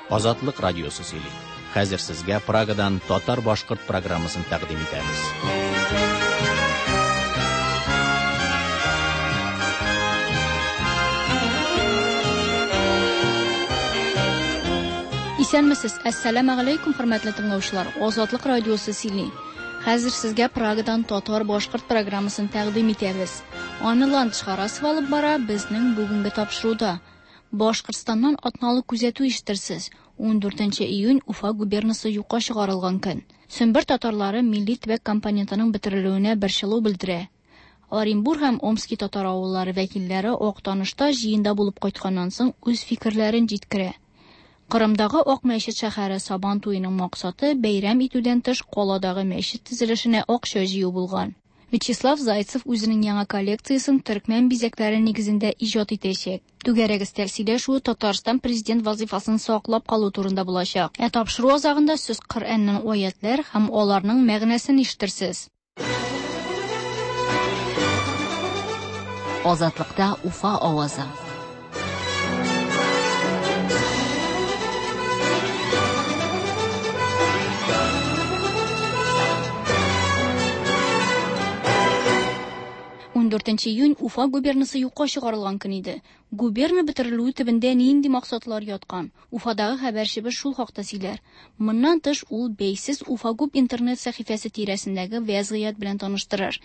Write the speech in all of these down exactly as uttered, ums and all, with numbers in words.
Азатлык радиосы сөйли. Хәзер сезгә Прагадан татар-башкорт программасын тәкъдим итәбез. Исәнмесез, әссәламә галәйкүм, хөрмәтле тыңлаучылар. Азатлык радиосы сөйли. Хәзер сезгә Прагадан татар-башкорт программасын тәкъдим итәбез. Аны Ландыш Харасова алып бара безнең бүгенге тапшыруда. Башкортстаннан атналык күзәтү ишетерсез. Ундүртенче июнь Уфа губернасы юкка чыгарылган көн. Сембер татарлары милли төбәк компонентының бетерелүенә борчылу белдерә. Оренбург һәм Омски татар авыллары вәкилләре Актанышта җыенда булып кайтканнан соң үз фикерләрен җиткерә. Кырымдагы Ак мәчет шәһәре Сабан туеның максаты бәйрәм итүдән тыш каладагы мәчет төзелешенә акча җыю булган. Вячеслав Зайцев үзенең яңа коллекциясен төркмән бизәкләре нигезендә иҗат итәчәк. Түгәрәк өстәл сөйләшүе Татарстан президент вазифасын саклап калу турында булачак. Ә тапшыру азагында сез Коръәннең аятлар һәм аларның мәгънәсен ишетерсез. Азатлыкта Уфа авазы. Ундүртенче июнь Уфа губернасы юкка чыгарылган көн иде. Губерна бетерелүе төбендә нинди максатлар яткан? Уфадагы хәбәрчебез шул хакта сөйләр. Моннан тыш ул бәйсез Уфагуб интернет сәхифәсе тирәсендәге вәзгыять белән таныштырыр.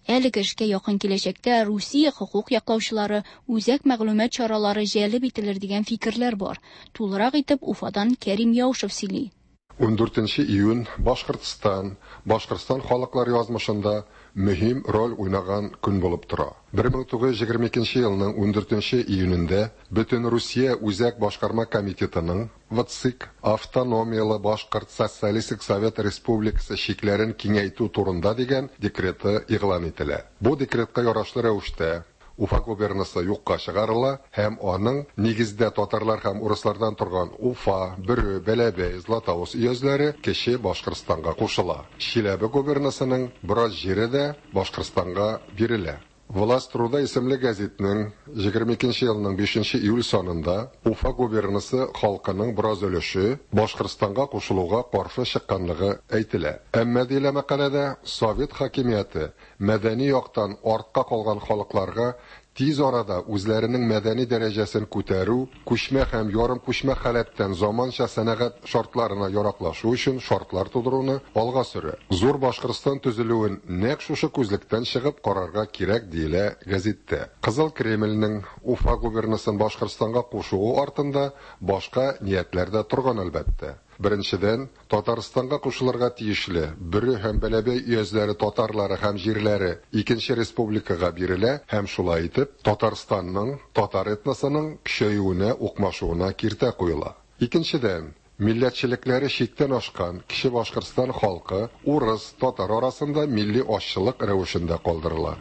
Әлеге эшкә якын киләчәктә Русия хокук яклаучылары, үзәк мәгълүмат чаралары җәлеп ителер дигән фикерләр бар. Тулырак итеп Уфадан Кәрим Яушев сөйли. Ундүртенче июнь Башкортстан, Башкортстан халыклар язмышында мөһим роль уйнаган көн булып тора. Бер мең тугыз йөз егерме икенче елның ундүртенче июнендә Бөтен Русия Үзәк Башкарма комитетының ВЦИК Автономиялы Башкорт Социалистик Совет Республикасы чикләрен киңәйтү турында дигән декреты игълан ителә. Бу декретка ярашлы рәвештә Уфа губернасы юкка чыгарыла һәм аның нигездә татарлар һәм урыслардан торган Уфа, Бөре, Бәләбәй, Златоуст өязләре Кече Башкортстанга кушыла. Чиләбе губернасының бераз җире дә Башкортстанга бирелә. Власть труда исемле гәзитнең егерме икенче елның бишенче июль санында Уфа губернасы халкының бераз өлеше Башкортстанга кушылуга каршы чыкканлыгы әйтелә. Әмма диелә мәкаләдә Совет хакимияте мәдәни яктан артка калган халыкларга тиз арада үзләренең мәдәни дәрәҗәсен күтәрү, күчмә һәм ярым күчмә халәттән заманча сәнәгать шартларына яраклашу өчен шартлар тудыруны алга сөрә. Зур Башкортстан төзелүен нәкъ шушы күзлектән чыгып карарга кирәк диелә гәзиттә. Кызыл Кремльнең Уфа губернасын Башкортстанга кушуы артында башка ниятләр дә торган әлбәттә. Беренчедән, Татарстанга кушылырга тиешле Бөре һәм Бәләбәй өязләре татарлары һәм җирләре икенче республикага бирелә һәм шулай итеп Татарстанның татар этносының көчәюенә, укмашуына киртә куела. Икенчедән, милләтчелекләре чиктән ашкан Кече Башкортстан халкы урыс, татар арасында милли азчылык рәвешендә калдырыла.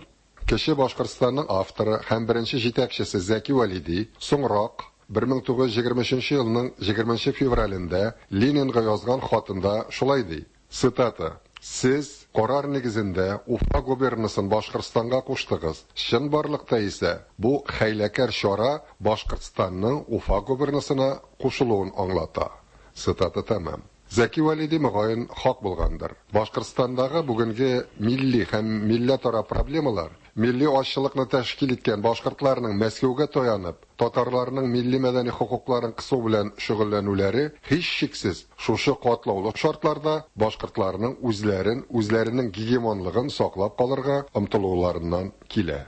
Кече Башкортстанның авторы һәм беренче җитәкчесе Зәки Вәлиди соңрак бер мең тугыз йөз егерме өченче елның егерменче февралендә Ленинга язган хатында шулай ди. Цитата: Сез карар нигезендә Уфа губернасын Башкортстанга куштыгыз. Чынбарлыкта исә бу хәйләкәр чара Башкортстанның Уфа губернасына кушылуын аңлата. Цитата тәмам. Зәки Вәлиди мөгаен хак булгандыр. Башкортстандагы бүгенге милли һәм милләтара проблемалар милли азчылыкны тәшкил иткән башкортларның Мәскәүгә таянып, татарларның милли мәдәни хокукларын кысу белән шөгыльләнүләре һичшиксез шушы катлаулы шартларда башкортларның үзләрен, үзләренең гегемонлыгын саклап калырга омтылуларыннан килә.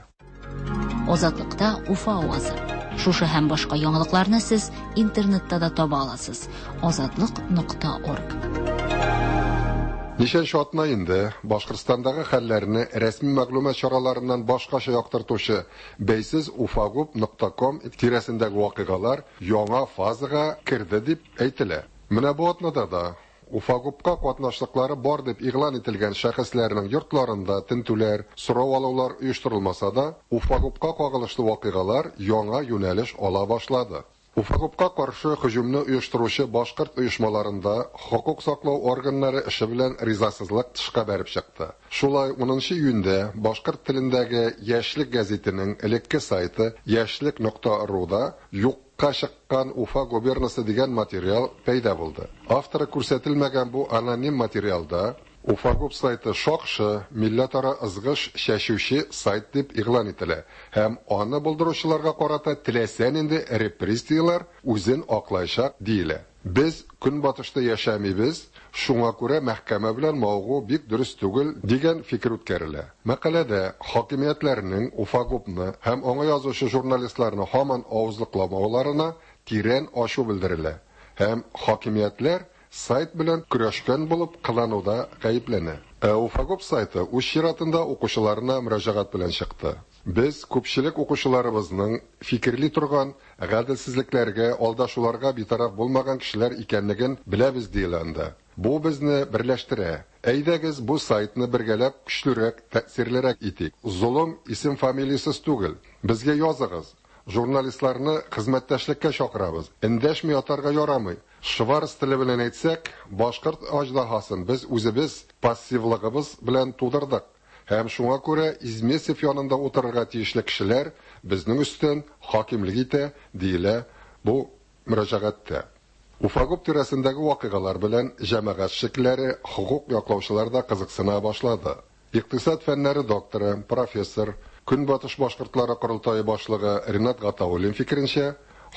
Азатлыкта Уфа авазы. Шушы һәм башка яңалыкларны сез интернетта да таба аласыз. Азатлык нокта орг. Ничәнче атна инде Башкортстандагы хәлләрне рәсми мәгълүмат чараларыннан башкача яктыртучы бәйсез уфагуб нокта ком тирәсендәге вакыйгалар яңа фазага керде дип әйтелә. Менә бу атнада да Уфагубка катнашлыклары бар дип игълан ителгән шәхесләрнең йортларында тентүләр, сорау алулар оештырылмаса да, Уфагубка кагылышлы вакыйгалар яңа юнәлеш ала башлады. Уфагубка каршы һөҗүмне оештыручы башкорт оешмаларында хокук саклау органнары эше белән ризасызлык тышка бәреп чыкты. Шулай унынчы июньдә башкорт телендәге Яшьлек гәзитенең элекке сайты яшьлек нокта руда юк Юкка чыккан Уфа губернасы дигән материал пәйда булды. Авторы күрсәтелмәгән бу аноним материалда Уфагуб сайты шакшы, милләтара ызгыш чәчүче сайт дип игълан ителә һәм аны булдыручыларга карата теләсә нинди репрессияләр үзен аклаячак диелә. Без Көнбатышта яшәмибез, шуңа күрә мәхкәмә белән мавыгу бик дөрес түгел дигән фикер үткәрелә. Мәкаләдә хакимиятләрнең Уфагубны һәм аңа язучы журналистларны һаман авызлыкламауларына тирән ачу белдерелә һәм хакимиятләр сайт белән көрәшкән булып кылануда гаепләнә. Ә Уфагуб сайты үз чиратында укучыларына мөрәҗәгать белән чыкты. Без күпчелек укучыларыбызның фикерли торган гаделсезлекләргә, алдашуларга битараф булмаган кешеләр икәнлеген беләбез диелә анда. Бу безне берләштерә. Әйдәгез бу сайтны бергәләп көчлерәк, тәэсирлерәк итик. Золым исем фамилиясез түгел. Безгә языгыз. Журналистларны хезмәттәшлеккә чакырабыз. Эндәшми ятарга ярамый. Шварц теле белән әйтсәк, башкорт аждаһасын без үзебез пассивлыгыбыз белән тудырдык. Һәм шуңа күрә Измесев янында утырырга тиешле кешеләр безнең өстән хакимлек итә, диелә бу мөрәҗәгатьтә. Уфагуб тирәсендәге вакыйгалар белән җәмәгать эшлеклеләре, хокук яклаучылар да кызыксына башлады. Икътисад фәннәре докторы, профессор, Көнбатыш башкортлары корылтае башлыгы Ринат Гатауллин фикеренчә,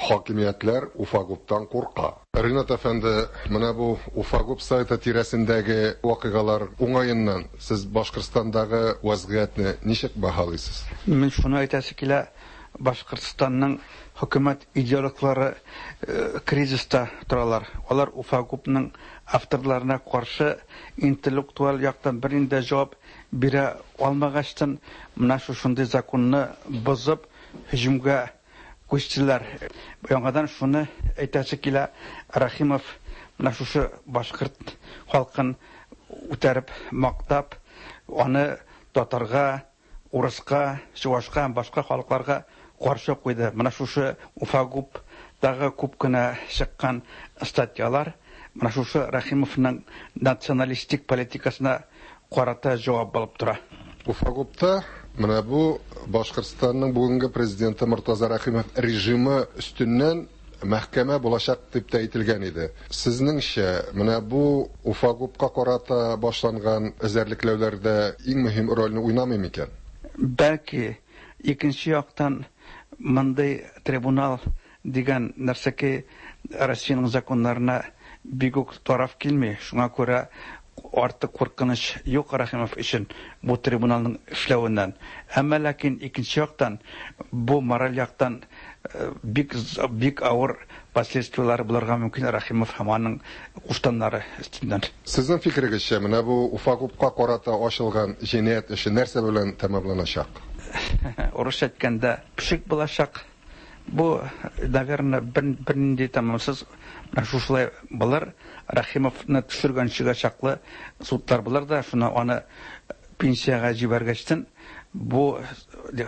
хакимиятләр Уфагубтан курка. Ринат әфәнде, менә бу Уфагуб сайты тирәсендәге вакыйгалар уңаеннан сез Башкортстандагы вазгыятьне ничек баһалыйсыз? Мин шуны әйтәсе килә, Башкортстанның хөкүмәт идеологлары кризиста торалар. Алар Уфагубның авторларына каршы интеллектуаль яктан бернинди җавап бирә алмагачтын, менә шушындый законны бозып һөҗүмгә күчтеләр. Яңадан шуны әйтәсе килә, Рәхимов менә шушы башкорт халкын үтәреп, мактап, аны татарга, урыска, чувашка һәм башка халыкларга каршы куйды. Менә шушы Уфагубтагы күп кенә чыккан статьялар менә шушы Рәхимовның националистик политикасына карата җавап булып тора. Уфагубта менә бу Башкортстанның бүгенге президенты Мортаза Рәхимов режимы өстеннән мәхкәмә булачак дип тә әйтелгән иде. Сезнеңчә, менә бу Уфагубка карата башланган эзәрлекләүләрдә иң мөһим рольне уйнамый микән? Бәлки, икенче яктан мондый трибунал дигән нәрсәкәй Россиянең законнарына бик үк тараф килми. Шуңа күрә артык куркыныч юк Рәхимов өчен бу трибуналның эшләвеннән. Әмма ләкин икенче яктан бу мораль яктан бик бик авыр последствияләр булырга мөмкин Рәхимов һәм аның куштаннары өстеннән. Сезнең фикерегезчә, менә бу Уфагубка карата ачылган җинаять эше нәрсә белән тәмамланачак? Урысча әйткәндә, пешек булачак. Бу, наверное, бернинди тәмамсыз менә шушылай булыр. Рәхимовны төшергәнчегә чаклы судлар булыр да, шуны аны пенсиягә җибәргәчтен бу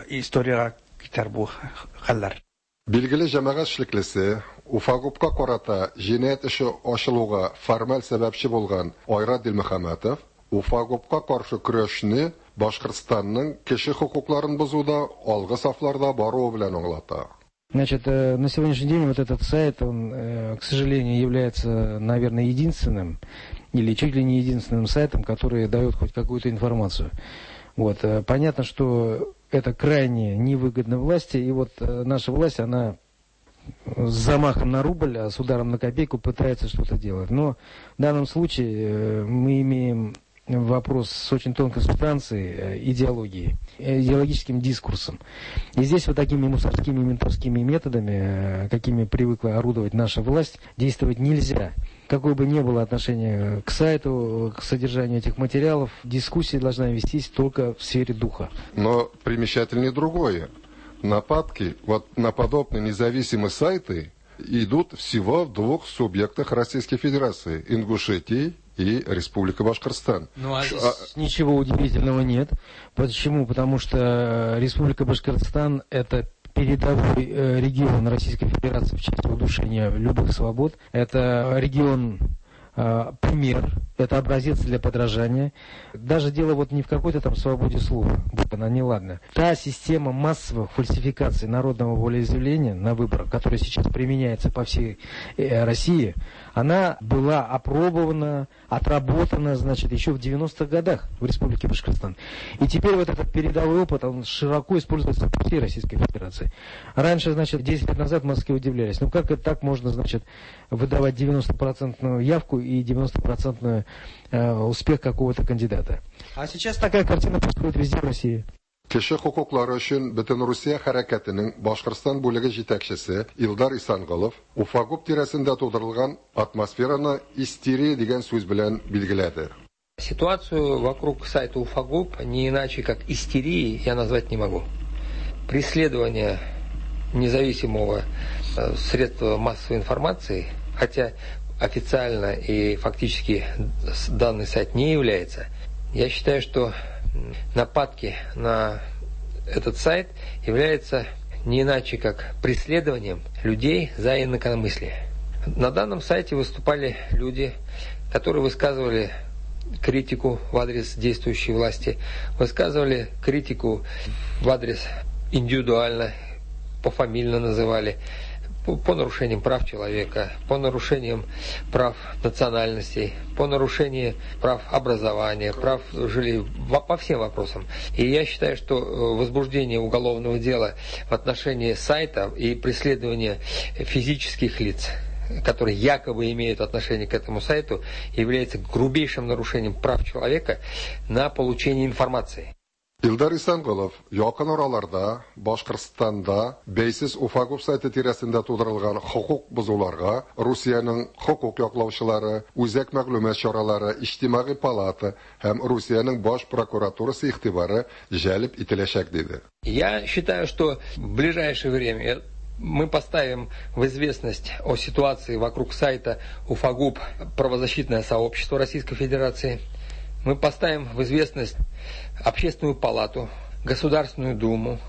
историягә китәр бу хәлләр. Билгеле җәмәгать эшлеклесе Уфагубка карата җинаять эше ачылуга формаль сәбәпче булган Айрат Дилмөхәммәтов Уфагубка каршы көрәшне Башкортстанның кеше хокукларын бозуда алгы сафларда баруы белән аңлата. Значит, на сегодняшний день вот этот сайт, он, к сожалению, является, наверное, единственным или чуть ли не единственным сайтом, который дает хоть какую-то информацию. Вот. Понятно, что это крайне невыгодно власти, и вот наша власть, она с замахом на рубль, а с ударом на копейку пытается что-то делать. Но в данном случае мы имеем вопрос с очень тонкой субстанцией, идеологией, идеологическим дискурсом. И здесь вот такими мусорскими, ментовскими методами, какими привыкла орудовать наша власть, действовать нельзя. Какое бы ни было отношение к сайту, к содержанию этих материалов, дискуссия должна вестись только в сфере духа. Но примечательнее другое. Нападки вот на подобные независимые сайты идут всего в двух субъектах Российской Федерации – Ингушетии и Республика Башкортостан. Ну, а здесь а... ничего удивительного нет. Почему? Потому что Республика Башкортостан – это передовой регион Российской Федерации в части удушения любых свобод. Это регион э, пример Это образец для подражания. Даже дело вот не в какой-то там свободе слова, будь она неладна. Та система массовых фальсификаций народного волеизъявления на выборах, которая сейчас применяется по всей России, она была опробована, отработана, значит, еще в девяностых годах в Республике Башкортостан. И теперь вот этот передовой опыт, он широко используется по всей Российской Федерации. Раньше, значит, десять лет назад в Москве удивлялись, ну как это так можно, значит, выдавать девяностопроцентную явку и девяностопроцентную успех какого-то кандидата. А сейчас такая картина происходит везде в России. Кеше хокуклары өчен Бөтенрусия хәрәкәтенең Башкортстан бүлеге җитәкчесе Илдар Исанголов Уфагуб тирәсендә тудырылган атмосфераны истерия дигән сүз белән билгеләде. Ситуацию вокруг сайта Уфагуб не иначе как истерией я назвать не могу. Преследование независимого средства массовой информации, хотя официально и фактически данный сайт не является, я считаю, что нападки на этот сайт являются не иначе как преследованием людей за инакомыслие. На данном сайте выступали люди, которые высказывали критику в адрес действующей власти, высказывали критику в адрес индивидуально, пофамильно называли, по, по нарушениям прав человека, по нарушениям прав национальностей, по нарушению прав образования, прав жилья, по всем вопросам. И я считаю, что возбуждение уголовного дела в отношении сайта и преследование физических лиц, которые якобы имеют отношение к этому сайту, является грубейшим нарушением прав человека на получение информации. Илдар Исанголов якын араларда Башкортстанда бәйсез Уфагуб сайты тирәсендә тудырылган хокук бозуларга Русиянең хокук яклаучылары, үзәк мәгълүмат чаралары, иҗтимагый палата һәм Русиянең баш прокуратурасы игътибары җәлеп ителәчәк диде. Я считаю, что в ближайшее время мы поставим в известность о ситуации вокруг сайта Уфагуб правозащитное сообщество Российской Федерации. Мы поставим в известность Общественную палату, Государственную Думу,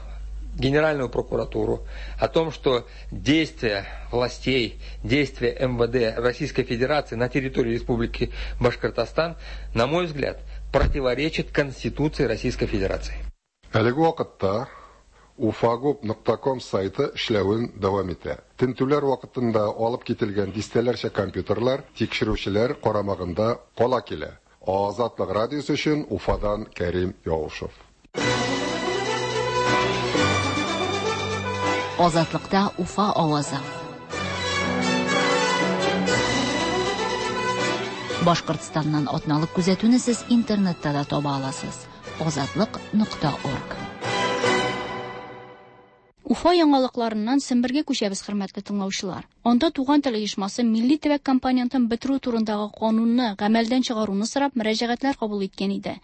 Генеральную прокуратуру о том, что действия властей, действия эм вэ дэ Российской Федерации на территории Республики Башкортостан, на мой взгляд, противоречит Конституции Российской Федерации. Әлеге вакытта уфагуб нокта ком сайты эшләвен дәвам итә. Тентүләр вакытында алып кителгән дистәләрчә компьютерлар тикшерүчеләр карамагында кала килә. Азатлык радиосы өчен Уфадан Кәрим Яушев. Азатлыкта Уфа авазы. Башкортстаннан атналык күзәтүне сез интернетта да таба аласыз. Азатлык нокта орг. Уфа яңалыкларыннан Сембергә күчәбез, хөрмәтле тыңлаучылар. Анда туган тел оешмасы милли төбәк компонентын бетерү турындагы канунны гамәлдән чыгаруны сорап мөрәҗәгатьләр кабул иткән иде.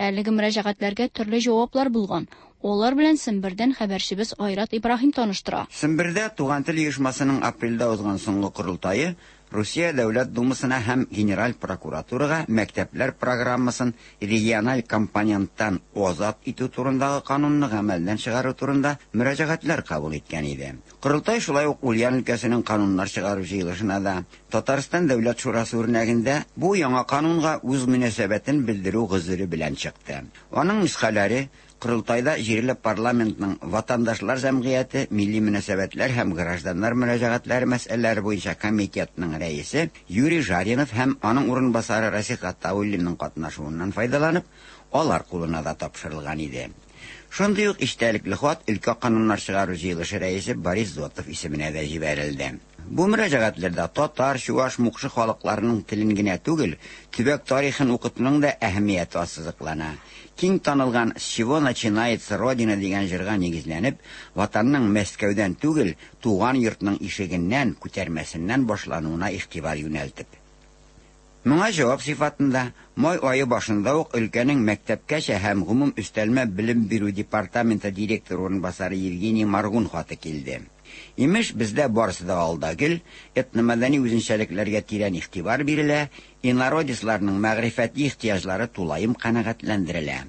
Әлеге мөрәҗәгатьләргә төрле җаваплар булган. Алар белән Сембердән хәбәрчебез Айрат Ибраһим таныштыра. Сембердә туган тел оешмасының апрельдә узган соңгы корылтае Русия Дәүләт Думасына һәм Генераль прокуратурага мәктәпләр программасын региональ компоненттан азат итү турындагы канунны гамәлдән чыгару турында мөрәҗәгатьләр кабул иткән иде. Корылтай шулай ук Ульян өлкәсенең кануннар чыгару җыелышына да Татарстан Дәүләт Шурасы үрнәгендә бу яңа канунга үз мөнәсәбәтен белдерү гозере белән чыкты. Аның нөсхәләре Корылтайда җирле парламентның ватандашлар җәмгыяте, милли мөнәсәбәтләр һәм гражданнар мөрәҗәгатьләре мәсьәләләре буенча комитетның рәисе Юрий Жаринов һәм аның урынбасары Расих Гатауллинның катнашуыннан файдаланып, алар кулына да тапшырылган иде. Шундый ук истәлекле хат өлкә кануннар чыгару җыелышы рәисе Борис Зотов исеменә дә җибәрелде. Бу мөрәҗәгатьләрдә татар, чуаш, мукшы халыкларының телен генә түгел, төбәк тарихын укытуның да әһәмияте ассызыклана. Киң танылган «С чего начинается Родина» дигән җырга нигезләнеп, ватанның Мәскәүдән түгел, туган йортның ишегеннән, күтәрмәсеннән башлануына игътибар юнәлтеп. Моңа җавап сыйфатында май ае башында ук өлкәнең мәктәпкәчә һәм гомум өстәлмә белем бирү департаменты директоры урынбасары Евгений Маргун хаты килде. Имеш, бездә барысы да алда гел, этномәдәни үзенчәлекләргә тирән игътибар бирелә, инородецларның мәгърифәти ихтыяҗлары тулаем канәгатьләндерелә.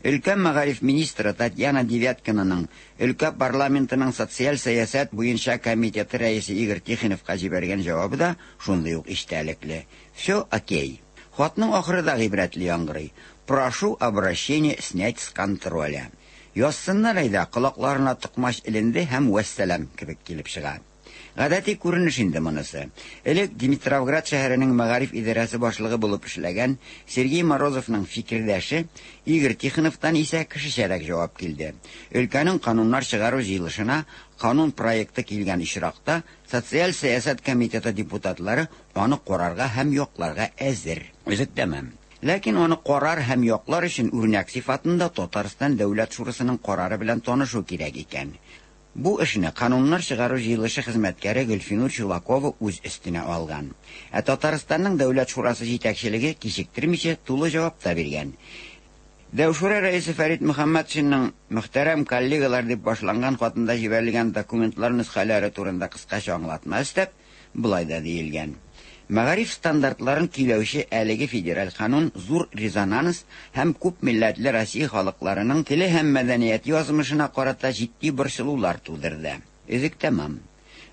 Өлкә мәгариф министры Татьяна Девяткинаның өлкә парламентының социаль сәясәт буенча комитеты рәисе Игорь Тихоновка җибәргән җавабы да шундый ук истәлекле. Все окей. Хатның ахыры да гыйбрәтле яңгырый. Прошу обращение снять с контроля. Язсыннар әйдә, колакларына токмач эленде һәм вәссәлам кебек килеп чыга. Гадәти күренеш инде монысы. Элек Димитровград шәһәренең мәгариф идарәсе башлыгы булып эшләгән Сергей Морозовның фикердәше Игорь Тихоновтан исә кешечәрәк җавап килде. Өлкәнең кануннар чыгару җыелышына канун проекты килгән очракта социаль сәясәт комитеты депутатлары аны карарга һәм якларга әзер. Өзек тәмам. Ләкин аны карар һәм яклар өчен үрнәк сыйфатында Татарстан Дәүләт Шурасының карары белән танышу кирәк икән. Бу эшне кануннар чыгару җыелышы хезмәткәре Гөлфинур Чулакова үз өстенә алган. Ә Татарстанның Дәүләт Шурасы җитәкчелеге кичектермичә тулы җавап та биргән. Дәүшура рәисе Фәрит Мөхәммәтшинның мөхтәрәм коллегалар дип башланган хатында җибәрелгән документлар нөсхәләре турында кыскача аңлатма өстәп, болай да диелгән. Мәгариф стандартларын көйләүче әлеге федераль канун зур резонанс һәм күп милләтле Россия халыкларының теле һәм мәдәнияте язмышына карата җитди борчылулар тудырды. Өзек тәмам.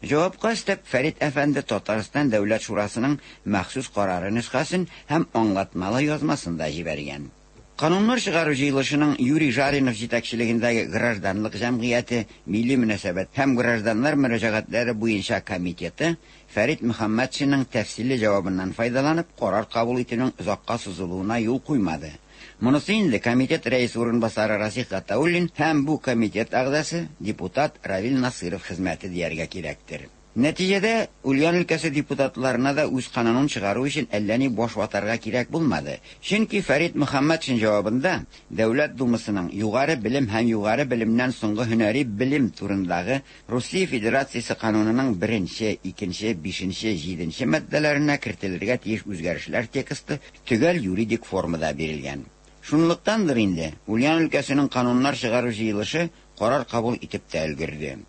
Җавапка өстәп Фәрит әфәнде Татарстан Дәүләт Шурасының махсус карары нөсхәсен һәм аңлатмалы язмасын да җибәргән. Кануннар чыгару җыелышының Юрий Жаринов җитәкчелегендәге гражданлык җәмгыяте, милли мөнәсәбәт һәм гражданнар мөрәҗәгатьләре буенча комитеты Фәрит Мөхәммәтшинның тәфсилле җавабыннан файдаланып, карар кабул итүнең озакка сузылуына юл куймады. Монысы инде комитет рәисе урынбасары Расих Гатауллин һәм бу комитет әгъзасы депутат Равил Насыров хезмәте дияргә кирәктер. Нәтиҗәдә Ульян өлкәсе депутатларына да үз канунын чыгару өчен әллә ни баш ватарга кирәк булмады. Чөнки Фәрит Мөхәммәтшин җавабында Дәүләт Думасының югары белем һәм югары белемнән соңгы һөнәри белем турындагы Русия Федерациясе канунының беренче, икенче, бишенче, җиденче маддәләренә кертелергә тиеш үзгәрешләр тексты төгәл юридик формада бирелгән. Шунлыктандыр инде Ульян өлкәсенең кануннар чыгару җыелышы карар кабул итеп тә өлгерде.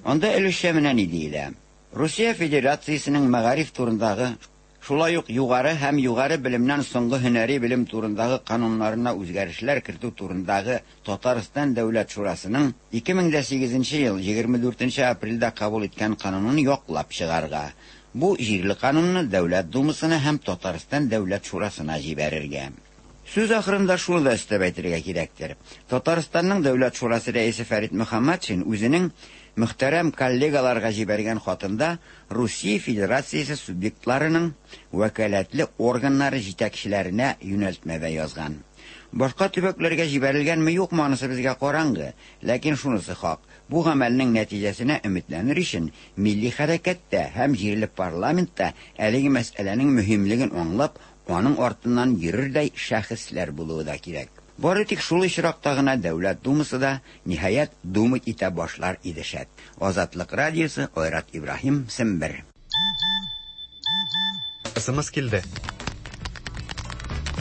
Анда өлешчә менә ни диелә? Русия Федерациясенең мәгариф турындагы, шулай ук югары һәм югары белемнән соңгы һөнәри белем турындагы кануннарына үзгәрешләр кертү турындагы Татарстан Дәүләт Шурасының ике мең дә сигезенче ел егерме дүртенче апрельдә кабул иткән канунын яклап чыгарга. Бу җирле канунны Дәүләт Думасына һәм Татарстан Дәүләт Шурасына җибәрергә. Сүз ахырында шуны да өстәп әйтергә кирәктер. Татарстанның Дәүләт Шурасы рәисе Фәрит Мөхәммәтшин үзенең мөхтәрәм коллегаларга җибәргән хатында Русия Федерациясе субъектларының вәкаләтле органнары җитәкчеләренә юнәлтмә язган. Башка төбәкләргә җибәрелгәнме юкмы анысы безгә караңгы, ләкин шунысы хак. Бу гамәлнең нәтиҗәсенә өметләнер өчен милли хәрәкәттә һәм җирле парламентта әлеге мәсьәләнең мөһимлеген аңлап, аның артыннан йөрердәй шәхесләр булуы да кирәк. Бары тик шул очракта гына Дәүләт Думасы да ниһаять думать итә башлар иде шәт. Азатлык радиосы, Айрат Ибраһим, Сембер. СМС килде.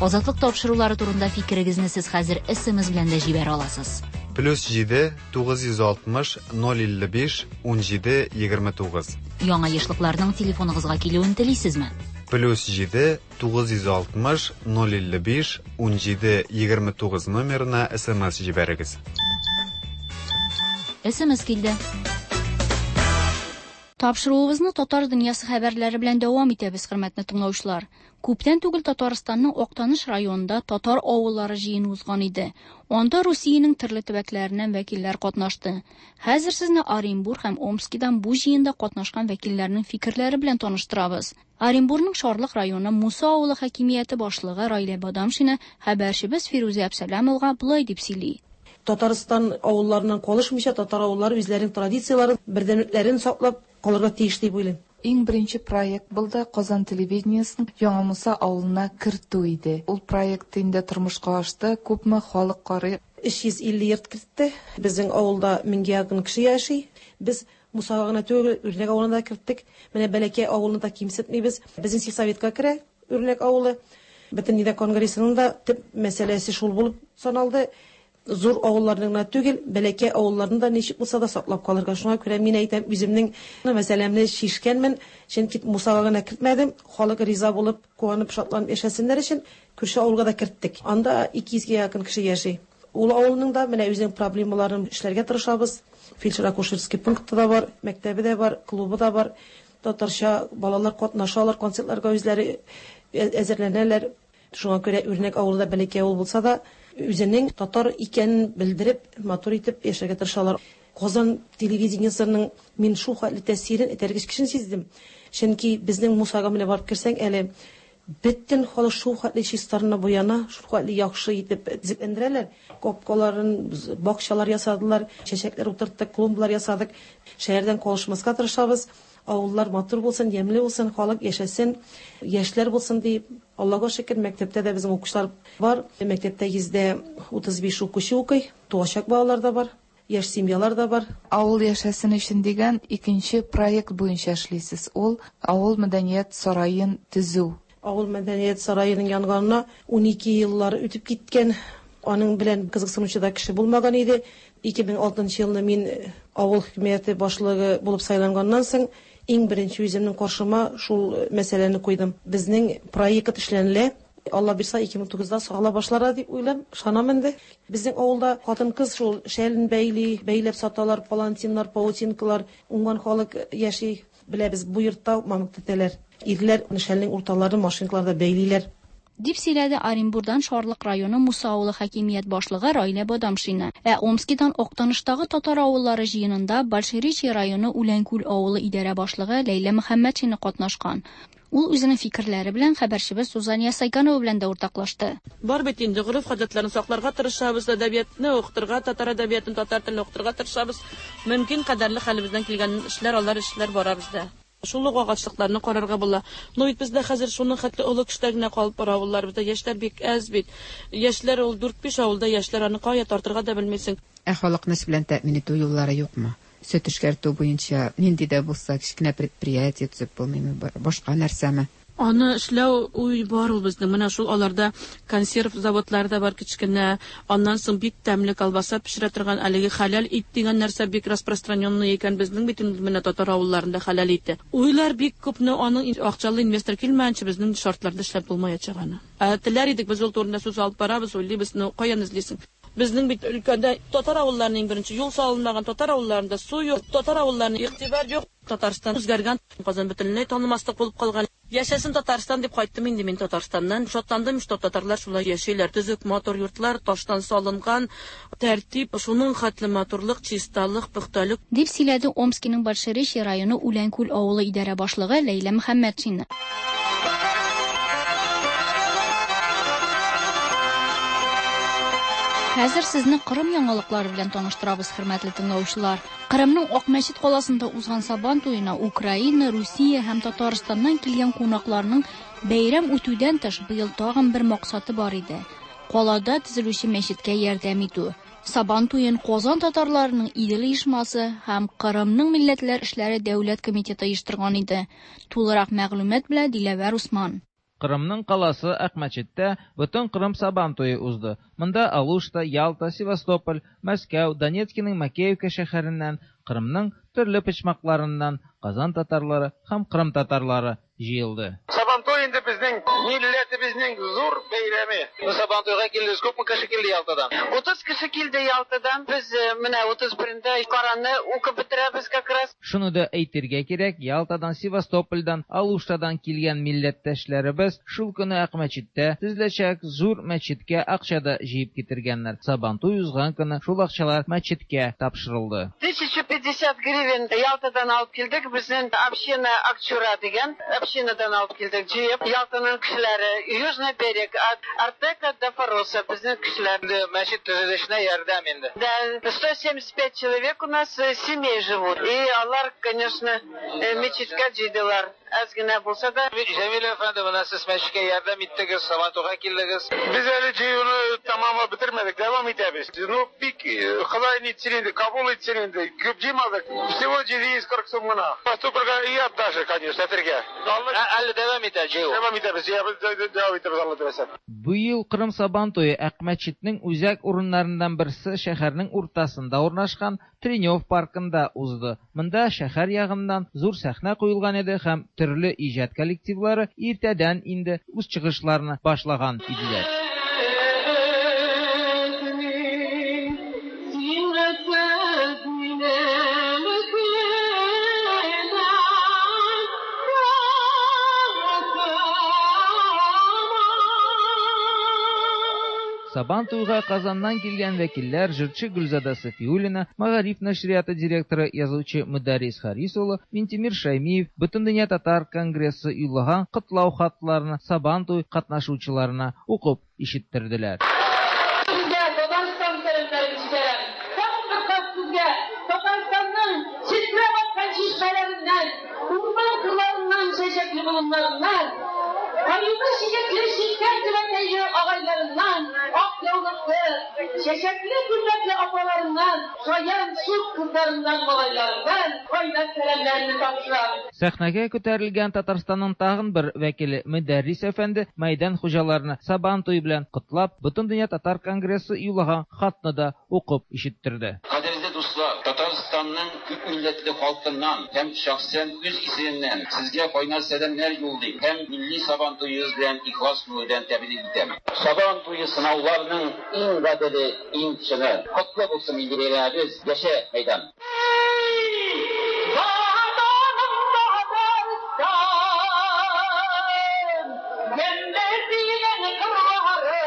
Азатлык тапшырулары турында фикерегезне сез хәзер СМС белән дә җибәрә аласыз. Плюс җиде тугыз йөз алтмыш ноль илле биш ун җиде егерме тугыз. Яңа ешлыкларның телефоныгызга килүен телисезме? Плюс җиде тугыз йөз алтмыш ноль илле биш ун җиде егерме тугыз номерына СМС җибәрегез. СМС килде. Тапшыруыбызны татар дөньясы хәбәрләре белән дәвам итәбез, хөрмәтле тыңлаучылар. Күптән түгел Татарстанның Актаныш районында татар авыллары җыены узган иде. Анда Русиянең төрле төбәкләреннән вәкилләр катнашты. Хәзер сезне Оренбург һәм Омскидан бу җыенда катнашкан вәкилләрнең фикерләре белән таныштырабыз. Оренбургның Шарлык районы Муса авылы хакимияте башлыгы Райлә Бадамшина хәбәрчебез Фирүзә Әбсәләмовага болай дип сөйли. Татарстан авылларыннан калышмыйча татар авыллары үзләренең традицияләрен, бердәмлекләрен саклап калырга тиеш дип уйлыйм. Иң беренче проект булды Казан телевидениесен Яңа Муса авылына кертү иде. Ул проект инде тормышка ашты, күпме халык карый. Өч йөз илле йорт кертте. Безнең авылда меңгә якын кеше яши. Без Мусага гына түгел, Үрнәк авылына да керттек. Менә Бәләкәй авылын да кимсетмибез. Безнең сельсоветка керә Үрнәк авылы. Бөтен конгрессының да төп мәсьәләсе шул булып саналды. Зур авылларның гына түгел, бәләкәй авылларны да ничек булса да саклап калырга. Шуңа күрә мин әйтәм, үземнең мәсьәләмне шишкәнмен, чөнки Мусага гына кертмәдем. Халык риза булып, куанып, шатланып яшәсеннәр өчен күрше авылга да керттек. Анда ике йөзгә якын кеше яши. Ул авылның да менә үзенең проблемаларын эшләргә тырышабыз. Фельдшер-акушерский пункты да бар, мәктәбе дә бар, клубы да бар. Татарча балалар катнашалар, концертларга үзләре әзерләнәләр. Шуңа күрә Үрнәк авылы да бәләкәй авыл булса да, үзенең татар икәнен белдереп, матур итеп яшәргә тырышалар. Казан телевидениесының мин шул хәтле тәэсирен, этәргеч көчен сиздем. Чөнки безнең Мусага менә барып керсәң, әле бөтен халык шул хәтле чистарына буяна, шул хәтле яхшы итеп төзекләндерәләр. Капкаларын, бакчалар ясадылар, чәчәкләр утырттык, клумбалар ясадык. Шәһәрдән калышмаска тырышабыз. Авыллар матур булсын, ямьле булсын, халык яшәсен, яшьләр булсын дип. Аллага шөкер, мәктәптә дә безнең укучылар бар. Мәктәптә йөздә утыз биш укучы укый, туачак балалар да бар, яшь семьялар да бар. Авыл яшәсен өчен дигән икенче проект буенча эшлисез. Ул авыл мәдәният сараен төзү. Авыл мәдәният сараеның янганына ун ике еллар үтеп киткән. Аның белән кызыксынучы да кеше булмаган иде. ике мең алтынчы елны мин авыл хөкүмәте башлыгы булып сайланганнан соң иң беренче үземнең каршыма шул мәсьәләне куйдым. Безнең проект эшләнелә. Алла бирса ике мең тугызда сагала башлар дип уйлап, ышанам инде. Безнең авылда хатын-кыз шул шәлен бәйли, бәйләп саталар, палантиннар, паутинкалар, уңган халык яши. Беләбез, бу йортта мамык тетәләр. Ирләр шәлнең урталарын машинкаларда бәйлиләр. Дип сөйләде Оренбурдан Шарлык районы Муса авылы хакимият башлыгы Райлә Бадамшина. Ә Омскидан Актаныштагы татар авыллары җыенында Большеречье районы Үләнкүл авылы идарә башлыгы Ләйлә Мөхәммәтшина катнашкан. Ул үзенең фикерләре белән хәбәрчебез Сузания Сайканова белән дә уртаклашты. Бар бит инде гореф-гадәтләрне сакларга тырышабыз, әдәбиятны укытырга, татар әдәбиятын, татар телен укытырга тырышабыз. Мөмкин кадәрле хәлебездән килгән эшләр, алар эшләр бара бездә. Шул ук агачлыкларны карарга була. Но бит бездә хәзер шуның хәтле олы кешеләр генә калып бара авыллар. Бездә яшьләр бик әз бит. Яшьләр ул дүрт-биш авылда яшьләр, аны кая тартырга да белмисең. Ә халыкны эш белән тәэмин итү юллары юкмы? Сөт эшкәртү буенча нинди дә булса кечкенә предприятие төзеп булмыймы, башка нәрсәме? Аны эшләү уй бар ул безнең. Менә шул аларда консерв заводлары да бар кечкенә. Аннан соң бик тәмле колбаса пешерә торган әлеге хәләл ит дигән нәрсә бик распространенный икән безнең бит инде менә татар авылларында хәләл ите. Уйлар бик күпне, аның акчалы инвестор килмәгәнче безнең шартларда эшләп булмаячак аны. Ә теләр идек, без ул турында сүз алып барабыз, уйлыйбыз, но каян эзлисең? Безнең бит өлкәдә татар авылларының иң беренче юл салынмаган, татар авылларында су юк, татар авылларында игътибар юк. Татарстан үзгәргән, Казан бөтенләй танымаслык булып калган. Яшәсен Татарстан дип кайттым инде мин Татарстаннан. Шатландым, что татарлар шулай яшиләр. Төзек матур йортлар, таштан салынган, тәртип, шуның хәтле матурлык, чисталык, пөхтәлек. Дип сөйләде Омскиның Большеречье районы Үләнкүл авылы идарә башлыгы Ләйлә Мөхәммәтшина. Хәзер сезне Кырым яңалыклары белән таныштырабыз, хөрмәтле тыңлаучылар. Кырымның Акмәчет каласында узган Сабан туена Украина, Русия һәм Татарстаннан килгән кунакларның бәйрәм үтүдән тыш быел тагын бер максаты бар иде. Калада төзелүче мәчеткә ярдәм итү. Сабан туен Казан татарларының Идел оешмасы һәм Кырымның милләтләр эшләре дәүләт комитеты оештырган иде. Тулырак мәгълүмат белән Диләвәр Усман. Кырымның каласы Акмәчеттә бөтен Кырым Сабан туе узды. Монда Алушта, Ялта, Севастополь, Мәскәү, Донецкиның Макеевка шәһәреннән, Кырымның төрле почмакларыннан Казан татарлары һәм Кырым татарлары җыелды. Сабантуй инде безнең милләтебезнең зур бәйрәме. Сабантуйга килде, күпме кеше килде Ялтадан? утыз кеше килде Ялтадан. Без менә утыз берендә Кораны укып бетерәбез как раз. Шуны да әйтергә кирәк, Ялтадан, Севастопольдан, Алуштадан килгән милләттәшләребез шул көне Акмәчеттә төзеләчәк зур мәчеткә акча да җыеп китергәннәр. Сабантуй узган көне шул акчалар мәчеткә тапшырылды. тысяча пятьдесят гривен Ялтадан алып килдек. Безнең община Акчура дигән общинадан алып килдек. Җыеп Ялтаның кешеләре, Южный берег, от Артека до Фороса безнең кешеләр. Мәчет төзелешенә ярдәм инде. Да, сто семьдесят пять человек у нас семей живут. И алар, конечно, мәчеткә җыйдылар. Аз генә булса да. Җәмил әфәнде, менә сез мәчеткә ярдәм иттегез, Сабантуйга килдегез. Без әле җыюны тәмамлап бетермәдек, дәвам итәбез. Ну, бик Ходай нитсен инде, кабул итсен инде. Күп җыймадык. Всего җиде йөз кырык сум гына. Сабантуйга ият даже, конечно, әтергә. Әле дәвам итә җыю. Дәвам итәбез, дәвам итәбез, Алла теләсә. Быел Кырым Сабан туе Акмәчетнең үзәк урыннарыннан берсе шәһәрнең уртасында урнашкан Тренев паркында узды. Монда шәһәр ягыннан зур сәхнә куелган иде һәм төрле иҗат коллективлары иртәдән инде үз чыгышларны башлаган иделәр. Сабантуйга Казаннан килгән вәкилләр җырчы Гөлзада Сафиуллина, Мәгариф нәшрияты директоры, язучы Мөдәррис Харис улы, Минтимер Шәймиев, Бөтендөнья татар конгрессы юллаган котлау хатларны Сабантуй катнашучыларына укып ишеттерделәр. Сезгә Татарстан сәламнәрен җибәрәм. Тагын бер кат сезгә Татарстанның читләп аткан чишмәләреннән, урман кырларыннан, чәчәкле болыннарыннан, аюлы чәчәкле читкән түбәтәйле агайларыннан, ак яулыклы, чәчәкле күлмәкле апаларыннан, шаян шук кызларыннан, малайларыннан кайнар сәламнәрне тапшырам. Сәхнәгә күтәрелгән Татарстанның тагын бер вәкиле Мөдәррис әфәнде мәйдан хуҗаларны Сабантуй белән котлап, Бөтендөнья татар конгрессы юллаган хатны да укып ишеттерде. Кадерле дуслар, Татарстанның күп милләтле халкыннан һәм шәхсән үз исемемнән сезгә кайнар сәламнәр юллыйм һәм милли Сабантуегыз белән ихлас күңелдән тәбрик итәм. Сабантуе сынауларының иң гаделе, иң чыны. Котлы булсын милли бәйрәмебез, яшә мәйдан! Ватаным Татарстан, ямьле дигән кырларым.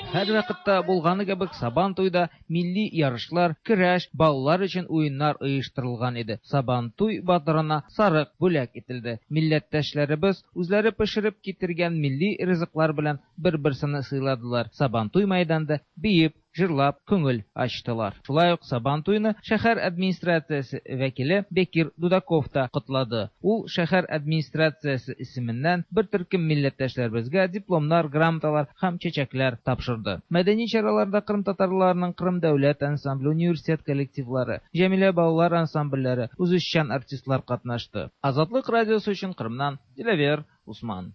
Һәр вакытта булганы кебек Сабантуйда милли ярышлар, көрәш, балалар өчен уеннар оештырылган иде. Сабантуй батырына сарык бүләк ителде. Милләттәшләребез үзләре пешереп китергән милли ризыклар белән бер-берсен сыйладылар. Сабантуй мәйданында биеп, җырлап, күңел ачтылар. Шулай ук Сабантуйны шәһәр администрациясе вәкиле Бекир Дудаков та котлады. Ул шәһәр администрациясе исеменнән бер төркем милләттәшләребезгә дипломнар, грамоталар һәм чәчәкләр тапшырды. Мәдәни чараларда Кырым татарларының Кырым дәүләт ансамбле, университет коллективлары, Җәмилә балалар ансамбльләре, үзешчән артистлар катнашты. Азатлык радиосы өчен Кырымнан Диләвер Усман.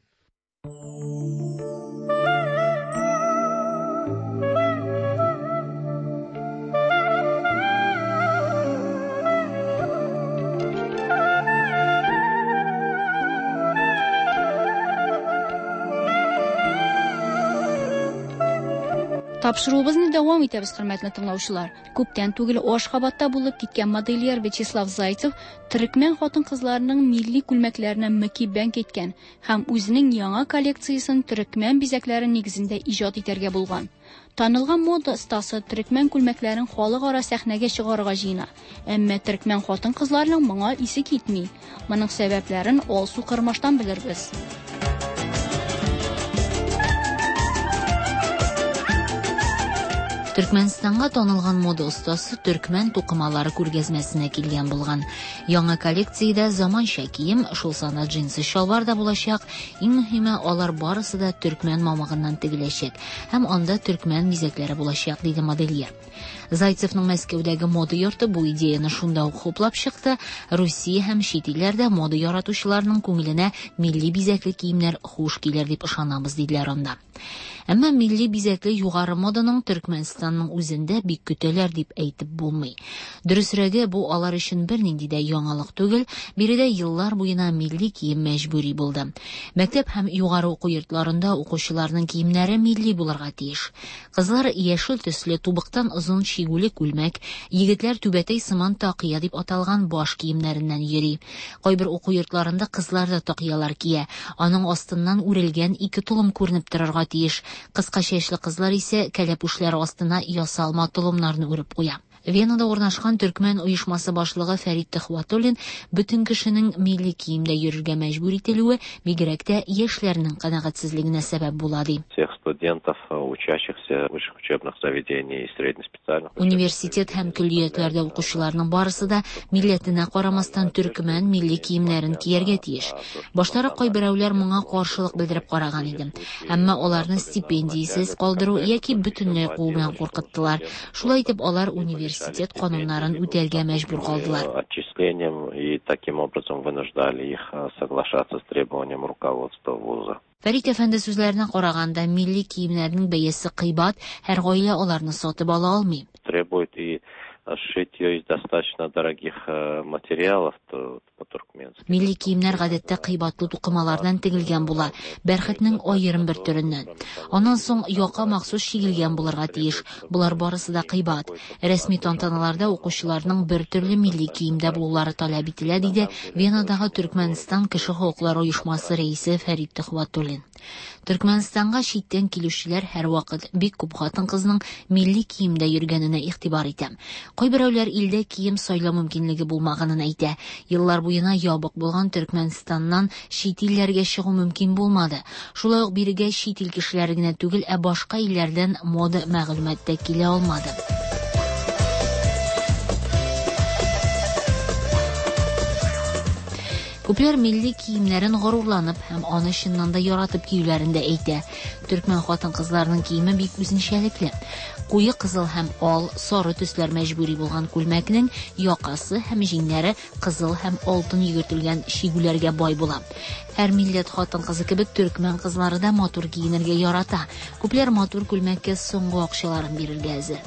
Тапшыруыбызны дәвам итәбез, хөрмәтле тыңлаучылар. Күптән түгел Ашхабадта булып киткән модельер Вячеслав Зайцев төрекмән хатын-кызларының милли күлмәкләренә мөкиббән киткән һәм үзенең яңа коллекциясен төрекмән бизәкләре нигезендә иҗат итәргә булган. Танылган мода остасы төрекмән күлмәкләрен халыкара сәхнәгә чыгарырга җыена. Әмма төрекмән хатын-кызларының моңа исе китми. Моның сәбәпләрен Алсу Кырмаштан белербез. Төркмәнстанга танылган мода остасы төркмән тукымалары күргәзмәсенә килгән булган. Яңа коллекциядә заманча кием, шул санда джинсы чалбар да булачак. Иң мөһиме, алар барысы да төркмән мамыгыннан тегеләчәк һәм анда төркмән бизәкләре булачак, диде модельер. Зайцевның Мәскәүдәге мода йорты бу идеяны шунда ук хуплап чыкты. Русия һәм чит илләрдә мода яратучыларның күңеленә милли бизәкле киемнәр хуш килер дип ышанабыз, диделәр анда. Әмма милли бизәкле югары моданың Төркмәнстанның үзендә бик көтәләр дип әйтеп булмый. Дөресрәге, бу алар өчен бернинди дә яңалык түгел, биредә еллар буена милли кием мәҗбүри булды. Мәктәп һәм югары уку йортларында укучыларның киемнәре милли булырга тиеш. Кызлар яшел төсле тубыктан озын чигүле күлмәк, егетләр түбәтәй сыман такыя дип аталган баш киемнәреннән йөри. Кайбер уку йортларында кызлар да такыялар кия. Аның астыннан үрелгән ике толым күренеп торырга тиеш. Кыска чәчле кызлар исә кәләпүшләре астына ясалма толымнарны үреп куя. Венада урнашкан төркмән оешмасы башлыгы Фәрит Төхвәтуллин бөтен кешенең милли киемдә йөрергә мәҗбүр ителүе бигрәк тә яшьләрнең канәгатьсезлегенә сәбәп була, ди. Всех студентов, учащихся высших учебных заведений и среднеспециальных Университет һәм көллиятләрдә укучыларның барысы да милләтенә карамастан төркмән милли киемнәрен кияргә тиеш. Баштарак кайберәүләр моңа каршылык белдереп караган иде. Әмма аларны стипендиясез калдыру яки бөтенләй куу белән куркыттылар. Шулай итеп алар университет кануннарын үтәргә мәҗбүр калдылар. Отчислением и таким образом вынуждали их соглашаться с требованием руководства вуза. Фәрит әфәнде сүзләренә караганда, милли киемнәрнең бәясе кыйбат, һәр гаилә аларны сатып ала алмый. Требует и сшить ее из достаточно дорогих материалов, то по-туркменски. Милли киемнәр гадәттә кыйбатлы тукымалардан тегелгән була, бәрхетнең аерым бер төреннән. Аннан соң яка махсус чигелгән булырга тиеш. Болар барысы да кыйбат. Рәсми тантаналарда укучыларның бер төрле милли киемдә булулары таләп ителә, диде Венадагы Төркмәнстан кеше хокуклары оешмасы рәисе Фәрит Төхвәтуллин. Төркмәнстанга читтән килүчеләр һәрвакыт бик күп хатын-кызның милли киемдә йөргәненә игътибар итә. Кайберәүләр илдә кием сайлау мөмкинлеге булмаганын әйтә. Еллар буена ябык булган Төркмәнстаннан чит илләргә чыгу мөмкин булмады. Шулай ук бирегә чит ил кешеләре генә түгел, ә башка илләрдән мода мәгълүмат та килә алмады. Күпләр милли киемнәрен горурланып һәм аны чыннан да яратып киюләрен дә әйтә. Төркмән хатын-кызларының киеме бик үзенчәлекле. Куе кызыл һәм ал, сары төсләр мәҗбүри булган күлмәкнең якасы һәм җиңнәре кызыл һәм алтын йөгертелгән чигүләргә бай була. Һәр милләт хатын-кызы кебек төркмән кызлары да матур киенергә ярата. Күпләр матур күлмәккә соңгы акчаларын бирергә әзер.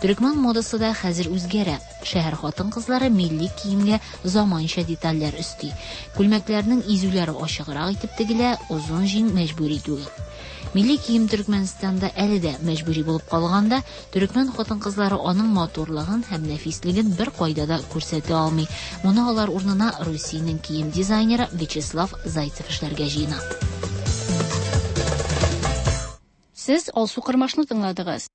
Төркмән модасы да хәзер үзгәрә. Шәһәр хатын-кызлары милли киемгә заманча детальләр өсти. Күлмәкләрнең изүләре ачыграк итеп тегелә, озын җиң мәҗбүри түгел. Милли кием Төркмәнстанда әле дә мәҗбүри булып калганда, төркмән хатын-кызлары аның матурлыгын һәм нәфислеген бер кайда да күрсәтә алмый. Моны алар урынына Русиянең кием дизайнеры Вячеслав Зайцев эшләргә җыена. Сез Алсу Кырмашны тыңладыгыз.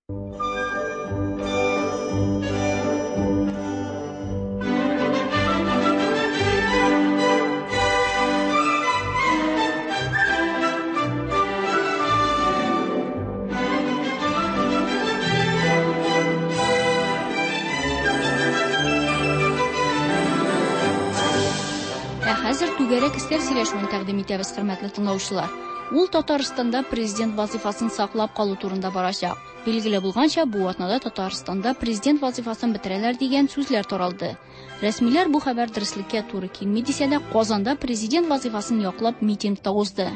Хәзер түгәрәк өстәл сөйләшүен тәкъдим итәбез, хөрмәтле тыңлаучылар. Ул Татарстанда президент вазифасын саклап калу турында барачак. Билгеле булганча, бу атнада Татарстанда президент вазифасын бетерәләр дигән сүзләр таралды. Рәсмиләр бу хәбәр дөреслеккә туры килми дисә дә, Казанда президент вазифасын яклап митинг та узды.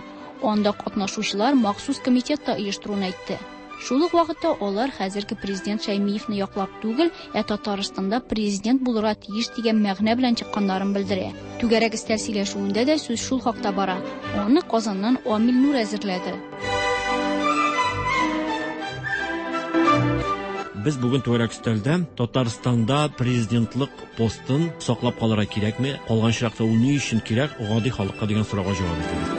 Анда катнашучылар махсус комитет та оештыруын әйтте. Шул ук вакытта алар хәзерге президент Шәймиевны яклап түгел, ә Татарстанда президент булырга тиеш дигән мәгънә белән чыкканнарын белдерә. Түгәрәк өстәл сөйләшүендә дә сүз шул хакта бара. Аны Казаннан Амил Нур әзерләде. Без бүген түгәрәк өстәлдә Татарстанда президентлык постын саклап калырга кирәкме, калган очракта ул ни өчен кирәк, гади халыкка дигән сорауга җавап эзлибез.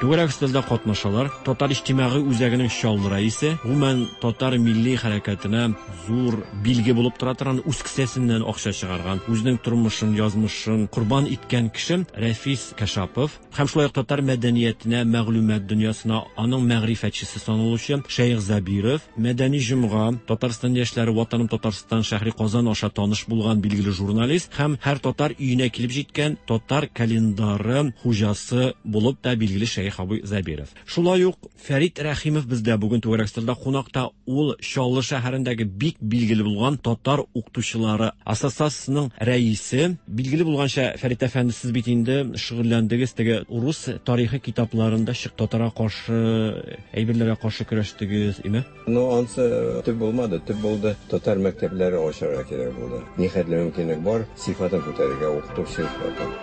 Түгәрәк өстәлдә катнашалар Татар иҗтимагый үзәгенең Чаллы рәисе, гомумән татар милли хәрәкәтенә зур билге булып тора торган, үз кесәсеннән акча чыгарган, үзенең тормышын, язмышын корбан иткән кеше Рәфис Кашапов һәм шулай ук татар мәдәниятенә, мәгълүмат дөньясына аның мәгърифәтчесе саналучы Шәех Забиров, Мәдәни җомга, Татарстан яшьләре, Ватаным Татарстан шәһри Казан аша таныш булган билгеле журналист һәм һәр татар өенә килеп җиткән татар календары хуҗасы булып та билгеле Шәех Абый Забиров. Шулай ук Фәрит Рәхимов бездә бүген түгәрәк өстәлдә кунакта. Ул Чаллы шәһәрендәге бик билгеле булган татар укытучылары ассоциациясенең рәисе. Билгеле булганча, Фәрит әфәнде, сез бит инде шөгыльләндегез теге урыс тарихы китапларында чык татарга каршы әйберләргә каршы көрәштегез, име? Ну, ансы төп булмады, төп булды. Татар мәктәпләре ачарга кирәк булды. Ни хәтле мөмкинлек бар, сыйфатын күтәрергә, укыту сыйфатын.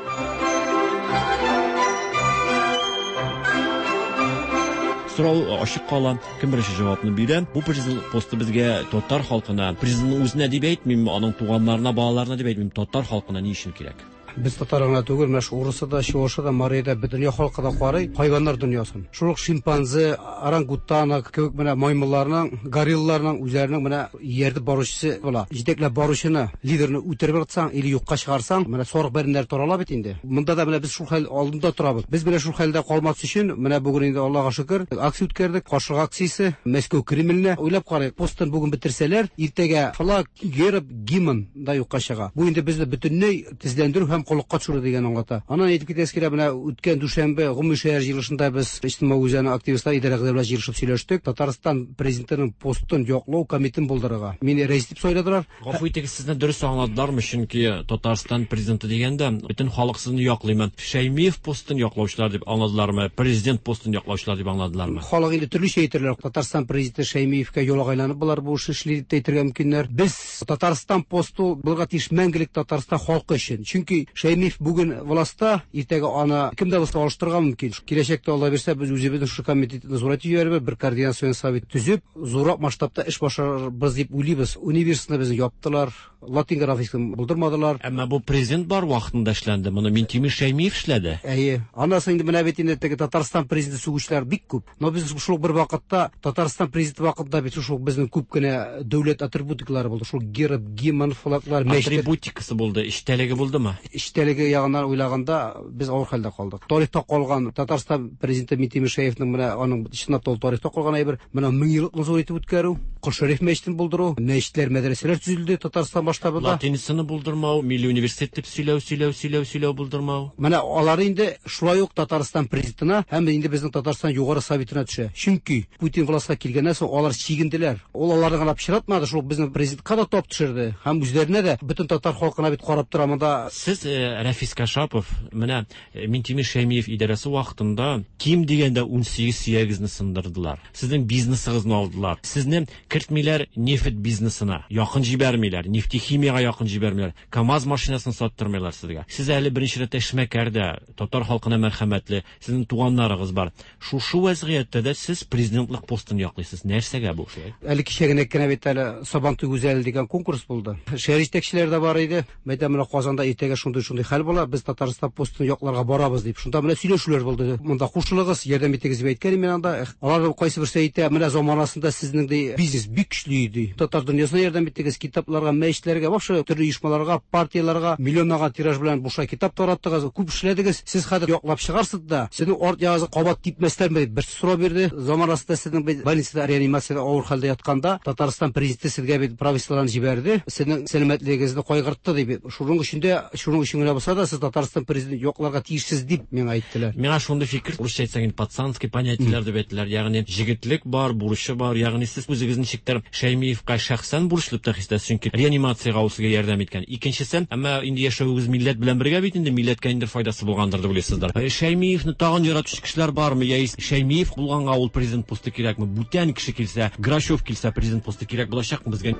Сорау ачык кала, кем беренче җавапны бирә? Бу президент посты безгә татар халкына, президентның үзенә дип әйтмим, аның туганнарына, балаларына дип әйтмим, татар халкына ни өчен кирәк? Без татар гына түгел, менә шу урысы да, чуашы да, мария да, бөтен дөнья халкы да карый хайваннар дөньясын. Шул ук шимпанзе, орангутана кебек менә маймылларның, горилларның үзләренең менә ияртеп баручысы була. Җитәкләп баручыны, лидерны үтереп ыргытсаң или юкка чыгарсаң, менә сарык бәреннәр тарала бит инде. Монда да менә без шул хәл алдында торабыз. Без менә шул хәлдә калмас өчен, менә бүген инде Аллага шөкер, акция үткәрдек, каршылык акциясе, Мәскәү Кремленә. Уйлап карыйк, постын бүген бетерсәләр, иртәгә флаг, герб, гимн да юкка чыга. Бу инде безне бөтенләй тезләндерү һәм коллыкка төшерү дигән аңлата. Аннан әйтеп китәсе килә, менә үткән дүшәмбе гомуми шәһәр җыелышында без иҗтимагый үзәнең активистлар идарә белән җыелышып сөйләштек. Татарстан президентының постын яклау комитетын булдырырга. Мине рәис дип сайладылар. Гафу итегез, сезне дөрес аңладылармы? Чөнки Татарстан президенты дигәндә бөтен халык сезне яклыймы? Шәймиев постын яклаучылар дип аңладылармы? Президент постын яклаучылар дип аңладылармы? Халык инде төрлечә әйтерләр. Татарстан президенты Шәймиевкә ялагайланып болар бу эшне эшли дип әйтергә мөмкиннәр. Без Татарстан посты булырга тиеш мәңгелек Татарстан халкы өчен. Чөнки Шәймиев бүген властьта, иртәгә аны кем дә булса алыштырырга мөмкин. Киләчәктә Алла бирсә, без үзебезнең шушы комитетны зурайтып җибәрбез, бер координацион совет төзеп, зуррак масштабта эш башарбыз дип уйлыйбыз. Университетны безне яптылар, латин графикасын булдырмадылар. Әмма бу президент бар вакытында эшләнде. Моны Минтимер Шәймиев эшләде. Әйе. Аннан соң инде менә бит инде теге Татарстан президенты сүгүчеләр бик күп. Но без шул бер вакытта Татарстан президенты вакытында бит шул безнең күп кенә дәүләт атрибутикалары булды. Шул герб, гимн, флаглар, мәчетләр. Атрибутикасы булды, эчтәлеге булдымы? Эчтәлеге ягыннан уйлаганда без авыр хәлдә калдык. Тарихта калган Татарстан президенты Минтимер Шәймиевның менә аның чынлап та ул тарихта калган әйбер, менә мең еллыкны зур итеп үткәрү, Кол Шәриф мәчетен булдыру, мәчетләр, мәдрәсәләр төзелде Татарстан масштабында. Латинсыны булдырмау, милли университет дип сөйләү, сөйләү, сөйләү, сөйләү булдырмау. Менә алар инде шулай ук Татарстан президентына һәм инде безнең Татарстан Югары Советына төшә. Чөнки Путин властька килгәннән соң алар чигенделәр. Ул аларны гына пычратмады, шул безнең президентка да тап төшерде һәм үзләренә дә, бөтен татар халкына бит карап тора монда. Сез, Рәфис Кашапов, менә Минтимер Шәймиев идарәсе вакытында ким дигәндә ун сигез сөягегезне сындырдылар. Сезнең бизнесыгызны алдылар. Сезне кертмиләр нефть бизнесына, якын җибәрмиләр, нефтехимияга якын җибәрмиләр, КАМАЗ машинасын саттырмыйлар сезгә. Сез әле беренче рәттә эшмәкәр дә, татар халкына мәрхәмәтле, сезнең туганнарыгыз бар. Шушы вазгыятьтә дә сез президентлык постын яклыйсыз. Нәрсәгә бу шулай? Әле кичә генә кенә бит әле Сабантуй гүзәле дигән конкурс булды. Шәһәр җитәкчеләре дә бар иде. Мәйтәм, менә Казанда иртәгә шундый-шундый хәл була, без Татарстан постын якларга барабыз дип. Шунда менә сөйләшүләр булды. Монда кушылыгыз, ярдәм итегез дип әйткән мин анда. Алар кайсы берсе әйтә, менә заманасында сезнең ди бизнес бик көчле иде. Татар дөньясына ярдәм иттегез, китапларга, мәчетләргә, вообще төрле оешмаларга, партияләргә миллионлаган тираж белән бушлай китап тараттыгыз, күп эшләдегез. Сез хәзер яклап чыгарсыз да, сезнең арт ягыгызга кабат типмәсләрме дип бер сорау бирде. Заманасында сезнең бит больницада, реанимациядә авыр хәлдә ятканда Татарстан президенты сезгә бит правительстводан җибәрде, сезнең сәламәтлегегезне кайгыртты дип. Шуның өчен дә, шуның өчен генә булса да сез Татарстан президенты якларга тиешсез дип миңа әйттеләр. Миңа шундый фикер, русча әйтсәң инде пацанский понятиеләр дип әйттеләр. Ягъни җегетлек бар, бурычы бар, ягъни сез үзегез ничектер Шәймиевка шәхсән бурычлы дип хис итәсез, чөнки реанимациягә ул сезгә ярдәм иткән. Икенчесе, әмма инде яшәвегез милләт белән бергә бит инде, милләткә инде файдасы булгандыр дип уйлыйсыздыр. Шәймиевны тагын яратучы кешеләр бармы? Яисә Шәймиев булганга ул президент посты кирәкме? Бүтән кеше килсә, Грачев килсә, президент посты кирәк булачакмы безгә?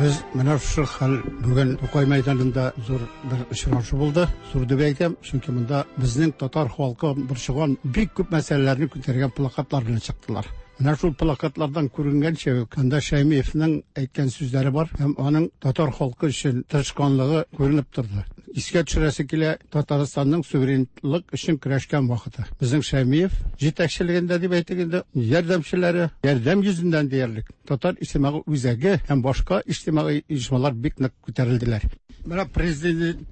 Без менә шушы хәл бүген Тукай мәйданында зур бер очрашу булды. Зур дип әйтәм, чөнки монда безнең татар халкы борчыган бик күп мәсьәләләрне күтәргән плакатлар белән чыктылар. Менә шул плакатлардан күренгәнчә, анда Шәймиевнең әйткән сүзләре бар һәм аның татар халкы өчен тырышканлыгы күренеп торды. Искә төшерәсе килә, Татарстанның суверенлык өчен көрәшкән вакыты. Безнең Шәймиев җитәкчелегендә дип әйтик инде, ярдәмчеләре, ярдәм йөзеннән диярлек Татар иҗтимагый үзәге һәм башка иҗтимагый оешмалар бик нык күтәрелделәр. Менә президент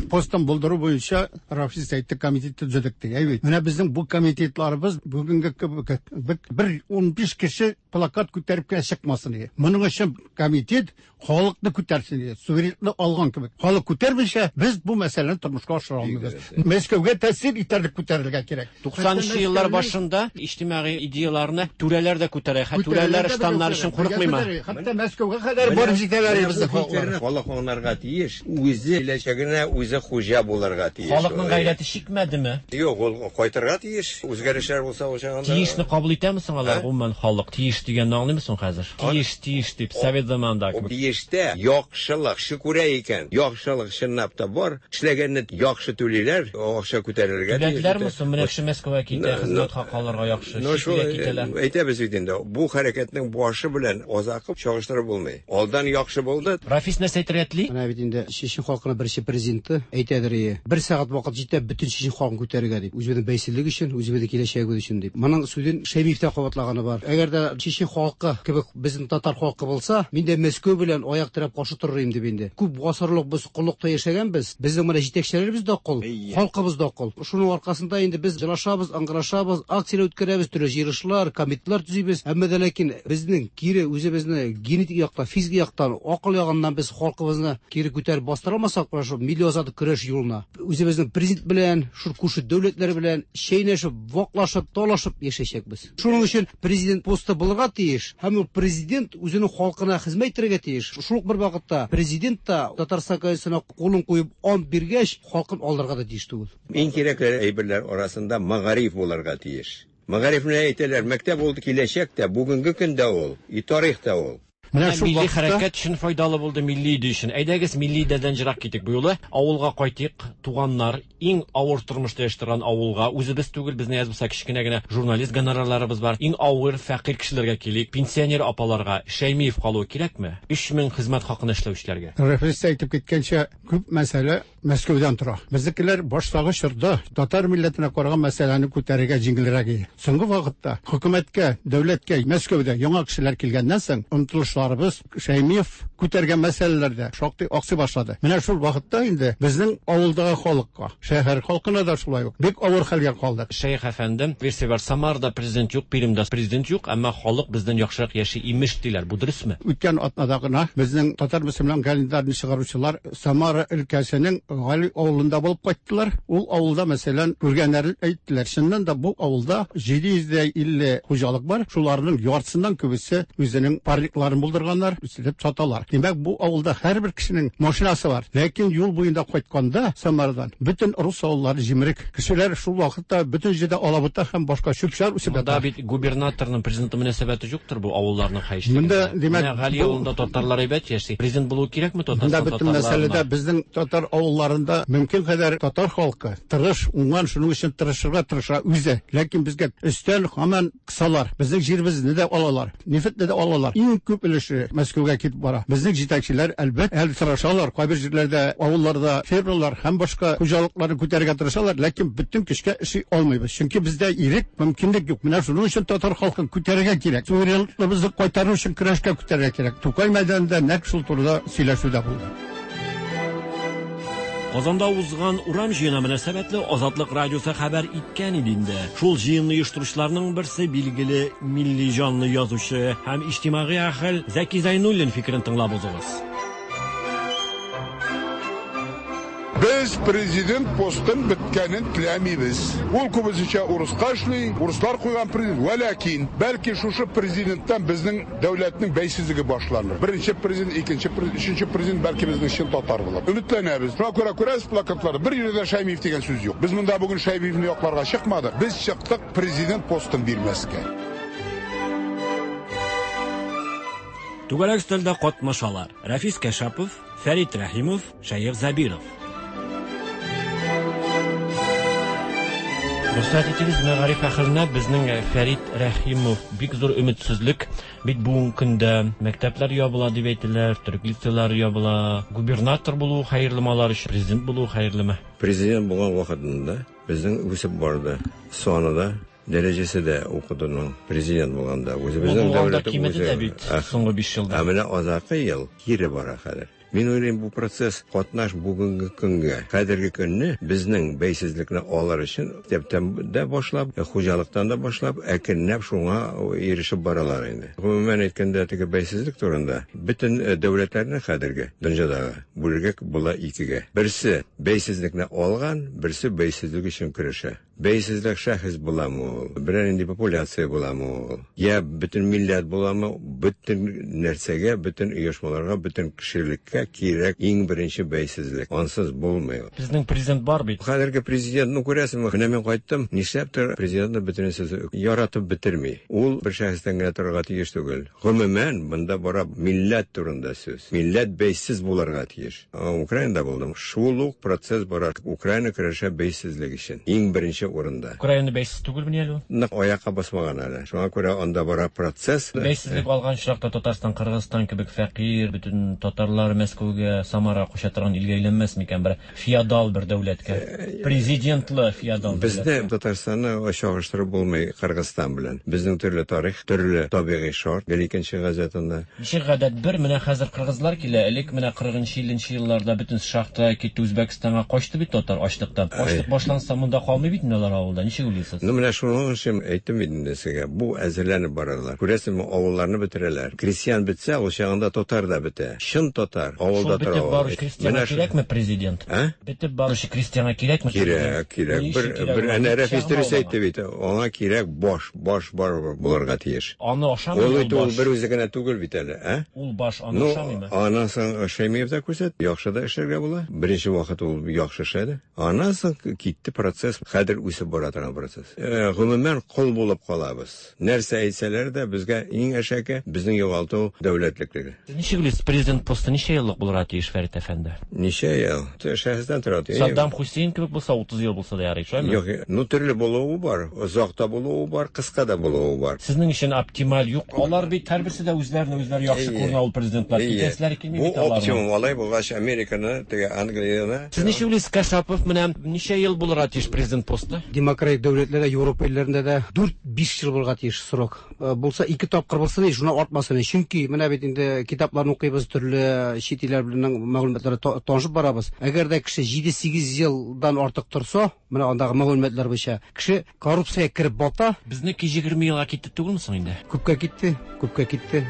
постын булдыру буенча Рафис әйтте, комитет төзедек ди. Әйбәт. Менә безнең бу комитетларыбыз бүгенге кебек бер ун биш кеше плакат күтәреп кенә чыкмасын ди. Моның өчен комитет халыкны күтәрсен ди. Суверенлык алган кебек. Халык күтәрмичә без бу мәсьәләне тормышка ашыра алмыйбыз. Мәскәүгә тәэсир итәрлек күтәрелергә кирәк. Туксанынчы еллар башында иҗтимагый идеяларны түрәләр дә күтәрә. Хәтта түрәләр штаннар өчен курыкмыймы? Хәтта Мәскәүгә кадәр барып җитәләр безнең халыклар. Халык аңларга тиеш, үзе киләчәгенә үзе хуҗа булырга тиеш. Халыкның гайрәте чикмәдеме? Юк, ул кайтырга тиеш. Үзгәрешләр булса ул чагында. Тиешне кабул итәме соң алар? Гомумән халык тиеш дигәнне аңлыймы соң хәзер? Тиеш, тиеш дип совет заманында кебек. Тиештә яхшылык күрә икән. Яхшылык чынлап та бар. Эшләгәнне яхшы түлиләр, акча күтәрергә тиеш. Түләделәрме соң? Менә кеше Мәскәүгә китә, хезмәт хакы алырга яхшы, чит илгә китәләр. Әйтәбез бит инде, бу хәрәкәтнең башы белән азакы чагыштырып булмый. Алдан яхшы булды. Рафис нәрсә әйтергә тели? Менә бит инде Чечен халкының беренче президенты әйтәдер ие. Бер сәгать вакыт җитә бөтен чечен халкын күтәрергә дип. Үзебезнең бәйсезлек өчен, үзебезнең киләчәгебез өчен дип. Моның сүзен Шәймиев тә кабатлаганы бар. Әгәр дә чечен халкы кебек безнең татар халкы булса, мин дә Мәскәү белән аяк терәп каршы торыр идем дип инде. Күп гасырлык без коллыкта яшәгәнбез. Безнең менә җитәкчеләребез дә кол, халкыбыз да кол. Шуның аркасында инде без җылашабыз, аңгырашабыз, акцияләр үткәрәбез, төрле җыелышлар, комитетлар төзибез. Әмма дә ләкин безнең кире үзебезне генетик яктан, физик яктан, акыл ягыннан без халкыбызны кире күтәреп бастыра алмасак, менә шул милли азатлык көрәш юлына үзебезнең президент белән, шул күрше дәүләтләр белән чәйнәшеп, ваклашып, талашып яшәячәкбез. Шуның өчен президент посты булырга тиеш, һәм ул президент үзенең халкына хезмәт итәргә тиеш. Шул ук бер вакытта президент та Татарстан Конституциясенә кулын куеп ант биргәч, халкын алдарга да тиеш түгел. Иң кирәкле әйберләр арасында мәгариф булырга тиеш. Мәгарифне әйтәләр, мәктәп ул киләчәктә, бүгенге көндә ул, и тарихта ул. Менә шул милли вакытта хәрәкәт өчен файдалы булды, милли идея өчен. Әйдәгез, милли идеядән ерак китик бу юлы. Авылга кайтыйк, туганнар, иң авыр тормышта яши торган авылга. Үзебез түгел, безне язмаса кечкенә генә журналист гонорарларыбыз бар. Иң авыр фәкыйрь кешеләргә килик, пенсионер апаларга Шәймиев калуы кирәкме? Өч мең хезмәт хакына эшләүчеләргә. Рәфис әйтеп киткәнчә, күп мәсьәлә Мәскәүдән тора. Безнекеләр баштагы чорда татар милләтенә караган мәсьәләне күтәрергә җиңелрәк иде. Соңгы вакытта хөкүмәткә, дәүләткә Мәскәүдә яңа кешеләр килгәннән соң омтылышларыбыз Шәймиев күтәргән мәсьәләләрдә шактый аксый башлады. Менә шул вакытта инде безнең авылдагы халыкка, шәһәр халкына да шулай ук бик авыр хәлгә калдык. Шәйх әфәндем, версия бар, Самарда президент юк, Пермьдә президент юк, әмма халык бездән яхшырак яши имеш диләр. Бу дөресме? Үткән атнада гына безнең татар мөселман календарын чыгаручылар Самара өлкәсенең Гали авылында булып кайттылар. Ул авылда, мәсәлән, күргәннәрен әйттеләр. Чыннан да бу авылда җиде йөз дә илле хуҗалык бар. Шуларның яртысыннан күбесе үзенең парникларын булдырганнар, үстереп саталар. Димәк, бу авылда һәрбер кешенең машинасы бар. Ләкин юл буенда кайтканда Самарадан бөтен рус авыллары җимерек. Кешеләр шул вакытта бөтен җирдә алабута һәм башка чүп-чар үсеп Монда ята. бит губернаторның президенты мөнәсәбәте юктыр бу авылларның хәешлегендә. Монда, димәк, Менә Гали бу- авылында татарлар әйбәт яши. Президент булу кирәкме Монда Татарстан бөтен мәсьәләдә татарларына? безнең татар авылларында мөмкин кадәр татар халкы тырыш, уңган, шуның өчен тырышырга тырыша үзе. Ләкин безгә өстән һаман кысалар. Безнең җиребезне дә алалар, нефтьне дә алалар. Иң күп өлеше Мәскәүгә китеп бара. Безнең җитәкчеләр әлбәттә әле тырышалар. Кайбер җирләрдә, авылларда фермерлар һәм башка хуҗалыкларны күтәрергә тырышалар, ләкин бөтен көчкә эшли алмыйбыз. Чөнки бездә ирек, мөмкинлек юк. Менә шуның өчен татар халкын күтәрергә кирәк. Суверенлыгыбызны кайтару өчен көрәшкә күтәрергә кирәк. Тукай мәйданында нәкъ шул турыда сөйләшү дә булды. Казанда узган урам җыены мөнәсәбәтле Азатлык радиосы хәбәр иткән иде инде. Шул җыенны оештыручыларның берсе билгеле милли җанлы язучы һәм иҗтимагый әһел Зәки Зәйнуллин фикерен тыңлап узыгыз. Без президент постын беткәнен теләмибез. Ул күбесенчә урыска эшли, урыслар куйган президент. Вәләкин, бәлки шушы президенттан безнең дәүләтнең бәйсезлеге башланыр. Беренче президент, икенче президент, өченче президент бәлки безнең чын татар булыр. Өметләнәбез. Шуңа күрә күрәсез плакатларда бер җирдә Шәймиев дигән сүз юк. Без монда бүген Шәймиевне якларга чыкмадык. Без чыктык президент постын бирмәскә. Түгәрәк өстәлдә катнашалар. Рәфис Кәшапов, Фәрит Рәхимов, Шәех Забиров. Рөхсәт итегез, мәгариф әһеленә безнең Фәрит Рәхимов бик зур өметсезлек. Бит бүгенге көндә мәктәпләр ябыла дип әйтәләр, төрек лицейлары ябыла. Губернатор булу хәерлеме алар өчен, президент булу хәерлеме? Президент булган вакытында безнең үсеп барды. Саны да, дәрәҗәсе дә укытуның президент булганда. Үзебезнең Ул булганда дәүләте кимеде дә үзе. бит Ах. соңгы биш елда. Ә менә азакы ел кире бара хәзер. Мин уйлыйм, бу процесс катнаш бүгенге көнгә. Хәзерге көнне безнең бәйсезлекне алыр өчен мәктәптән дә башлап, хуҗалыктан да башлап, әкренләп шуңа ирешеп баралар инде. Гомумән әйткәндә, теге бәйсезлек турында бөтен, э, дәүләтләрне хәзерге дөньядагы бүлергә була икегә. Берсе бәйсезлекне алган, берсе бәйсезлек өчен көрәшә. Бәйсезлек шәхес буламы ул, берәр нинди популяция буламы ул, я бөтен милләт буламы, бөтен нәрсәгә, бөтен оешмаларга, бөтен кешелеккә кирәк иң беренче бәйсезлек. Ансыз булмый. Безнең президент бар бит. Хәзерге президент, ну күрәсеңме, менә мин кайттым, нишләптер президентны бөтенесе яратып бетерми. Ул бер шәхестән генә торырга тиеш түгел. Гомумән, монда бара милләт турында сүз. Милләт бәйсез булырга тиеш. А, Украинада булдым. Шул ук процесс бара. Украина көрәшә бәйсезлек өчен. Иң беренче урында. Украина бәйсез түгелмени әле ул? Нык аякка басмаган әле. Шуңа күрә анда бара процесс. Бәйсезлек алган очракта Татарстан, Кыргызстан кебек фәкыйрь, бөтен татарлар Мәскәүгә, Самара куша торган илгә әйләнмәс микән бер феодал бер дәүләткә? Президентлы феодал Безне дәүләткә. Татарстанны чагыштырып булмый Кыргызстан белән. Безнең төрле тарих, төрле табигый шарт. Гел икенче газетында. Ничек гадәт бер, менә хәзер кыргызлар килә, элек менә кырыгынчы, илленче елларда бөтен шахта китте, Үзбәкстанга качты бит татар ачлыктан. Ачлык башланса монда калмый бит инде алар авылда. Ничек уйлыйсыз? Ну, менә шуның өчен әйттем бит инде сезгә. Бу әзерләнеп баралар. Күрәсезме, авылларны бетерәләр. Крестьян бетсә, ул чагында татар да бетә. Чын татар авылда Шул бетеп тора. баручы крестьянга Менә шу- кирәкме президент? А? Бетеп баручы крестьянга кирәкме? Кирәк, кирәк. Ни Бер, өчен кирәк бер ул? әнә Рәфис Пычагын дөрес алма. әйтте бит. Аңа кирәк баш, баш бар булырга тиеш. Аны ашамый Ул ул бит ул баш. бер үзе генә түгел бит әле, ә? Ул баш аны Ну, ашамыймы? аннан соң Шәймиев тә күрсәтте, яхшы да эшләргә була. Беренче вакыт ул яхшы эшләде. Аннан соң китте процесс, хәзер үсеп бара торган процесс. Э, гомумән кол булып калабыз. Нәрсә әйтсәләр дә безгә иң әшәке Безнең югалту дәүләтлеклеге. Сез ничек уйлыйсыз, президент посты ничә еллык булырга тиеш, Фәрит әфәнде? Ничә ел? Шәхестән тора. Саддам Хусейн кебек булса утыз ел булса да ярый, шулаймы? Юк, ну төрле булуы бар, озак та булуы бар, кыска да булуы бар. Сезнең өчен оптималь юк. Алар бит һәрберсе дә үзләрен үзләре яхшы күренә ул президентлар. Китәселәре килми бит аларның. Бу оптимум алай булгач Американы, теге Англияны. Сез ничек уйлыйсыз, Кашапов, менә ничә ел булырга тиеш президент посты? Демократик дәүләтләрдә, Европа илләрендә дә дүрт-биш ел булырга тиеш срок. Булса ике тапкыр булсын, шуна артмасын. Чөнки менә бит инде китапларны укыйбыз, төрле чит илләр белән мәгълүматлар танышып барабыз. Әгәр дә кеше җиде-сигез елдан артык торса, менә андагы мәгълүматлар буенча кеше коррупциягә кереп бата. Безнеке егерме елга китте түгелме соң инде? Күпкә китте, күпкә китте.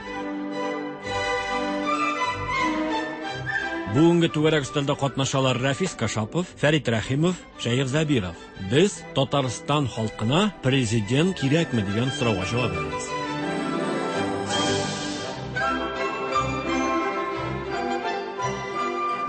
Бүгенге түгәрәк өстәлдә катнашалар Рәфис Кашапов, Фәрит Рәхимов, Шәех Зәбиров. Без Татарстан халкына президент кирәкме дигән сорауга җавап бирәбез.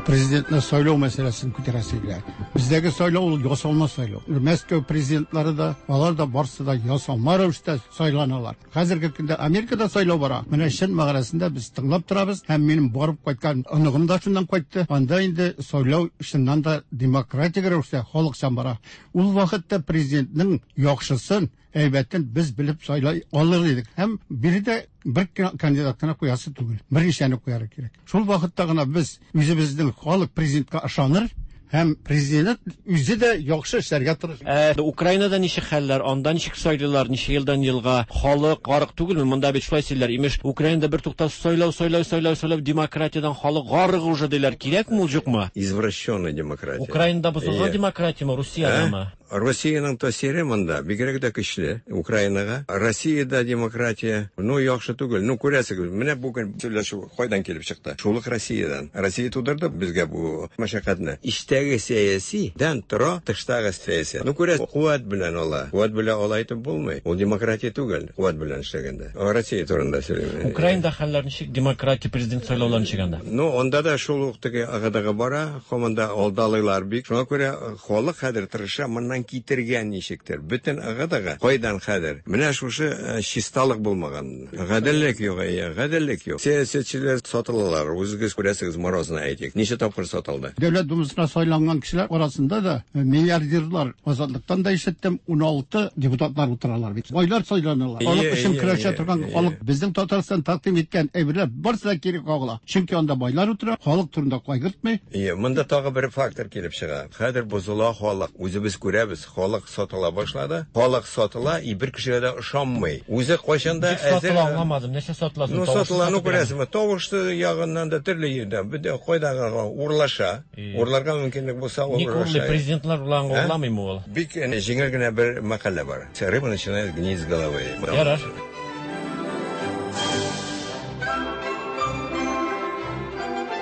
Президентны сайлау мәсьәләсен күтәрәсе килә. Бездәге сайлау ул ясалма сайлау. Мәскәү президентлары да, алар да барсы да ясалма рәвештә сайланалар. Хәзерге көндә Америкада сайлау бара. Менә чын мәгънәсендә без тыңлап торабыз һәм минем барып кайткан оныгым да шуннан кайтты. Анда инде сайлау чыннан да демократик рәвештә халыкчан бара. Ул вакытта президентның яхшысын, әйбәтен без белеп сайлай алыр идек. Һәм биредә бер кандидат кына куясы түгел, берничәне куярга кирәк. Шул вакытта гына без үзебезнең халык президентка ышаныр һәм президент үзе дә яхшы эшләргә тырышыр. Ә Украинада ничек хәлләр, анда ничек сайлыйлар, ничә елдан елга халык гарык түгелме? Монда бит шулай сөйлиләр, имеш, Украинада бер туктаусыз сайлау, сайлау, сайлау, сайлау, демократиядән халык гарык уже диләр. Кирәкме ул, юкмы? Извращенная демократия. Украинада бозылган демократияме, Русиядәме? Россиянең тәэсире монда бигрәк дә көчле Украинага. Россиядә демократия, ну, яхшы түгел. Ну, күрәсегез, менә бүген сөйләшү кайдан килеп чыкты? Шул ук Россиядән. Россия тудырды безгә бу мәшәкатьне. Эчтәге сәяси дән тора, тыштагы сәясәт. Ну, күрәсез, куәт белән ала. Куәт белән ала әйтеп булмый. Ул демократия түгел, куәт белән эшләгәндә. Россия турында сөйлим. Украинада хәлләр ничек? Демократия президент сайлаулары ничек анда? Ну, анда да шул ук теге агадагы бара, һаман да алдалыйлар бик. Шуңа күрә халык хәзер тырыша моннан китергән ничектер. Бөтен агадага кайдан хәзер? Менә шушы чисталык булмаган. Гаделлек юк, гаделлек юк. Сәясәтчеләр сатылалар. Үзегез күрәсегез, Морозны әйтик. Ничә тапкыр сатылды? Дәүләт думасына сайланган кешеләр арасында да миллиардерлар, Азатлыктан да ишеттем, ун алты депутатлар утыралар бит. Байлар сайланалар. Халык өчен көрәшә торган халык безнең Татарстан тәкъдим иткән әйберләр барысы да кире кагыла. Чөнки анда байлар утыра, халык турында кайгыртмый. Ие, монда тагы бер фактор килеп чыга. Хәзер бозыла халык. Үзебез күрәбез, халык сатыла башлады. Халык сатыла, и бер кешегә дә ышанмый. Үзе кайчан да әзер. Сатыла аңламадым. Нәрсә сатыла? Ну, сатыла, ну күрәсезме, тавышы ягыннан да төрле җирдән, бөтен кайдан урлаша. Урларга мөмкинлек булса, урлаша. Президентлар урланга урламыймы ул? Бик җиңел генә бер мәкалә бар. Рыба начинает гнить с головы. Ярар.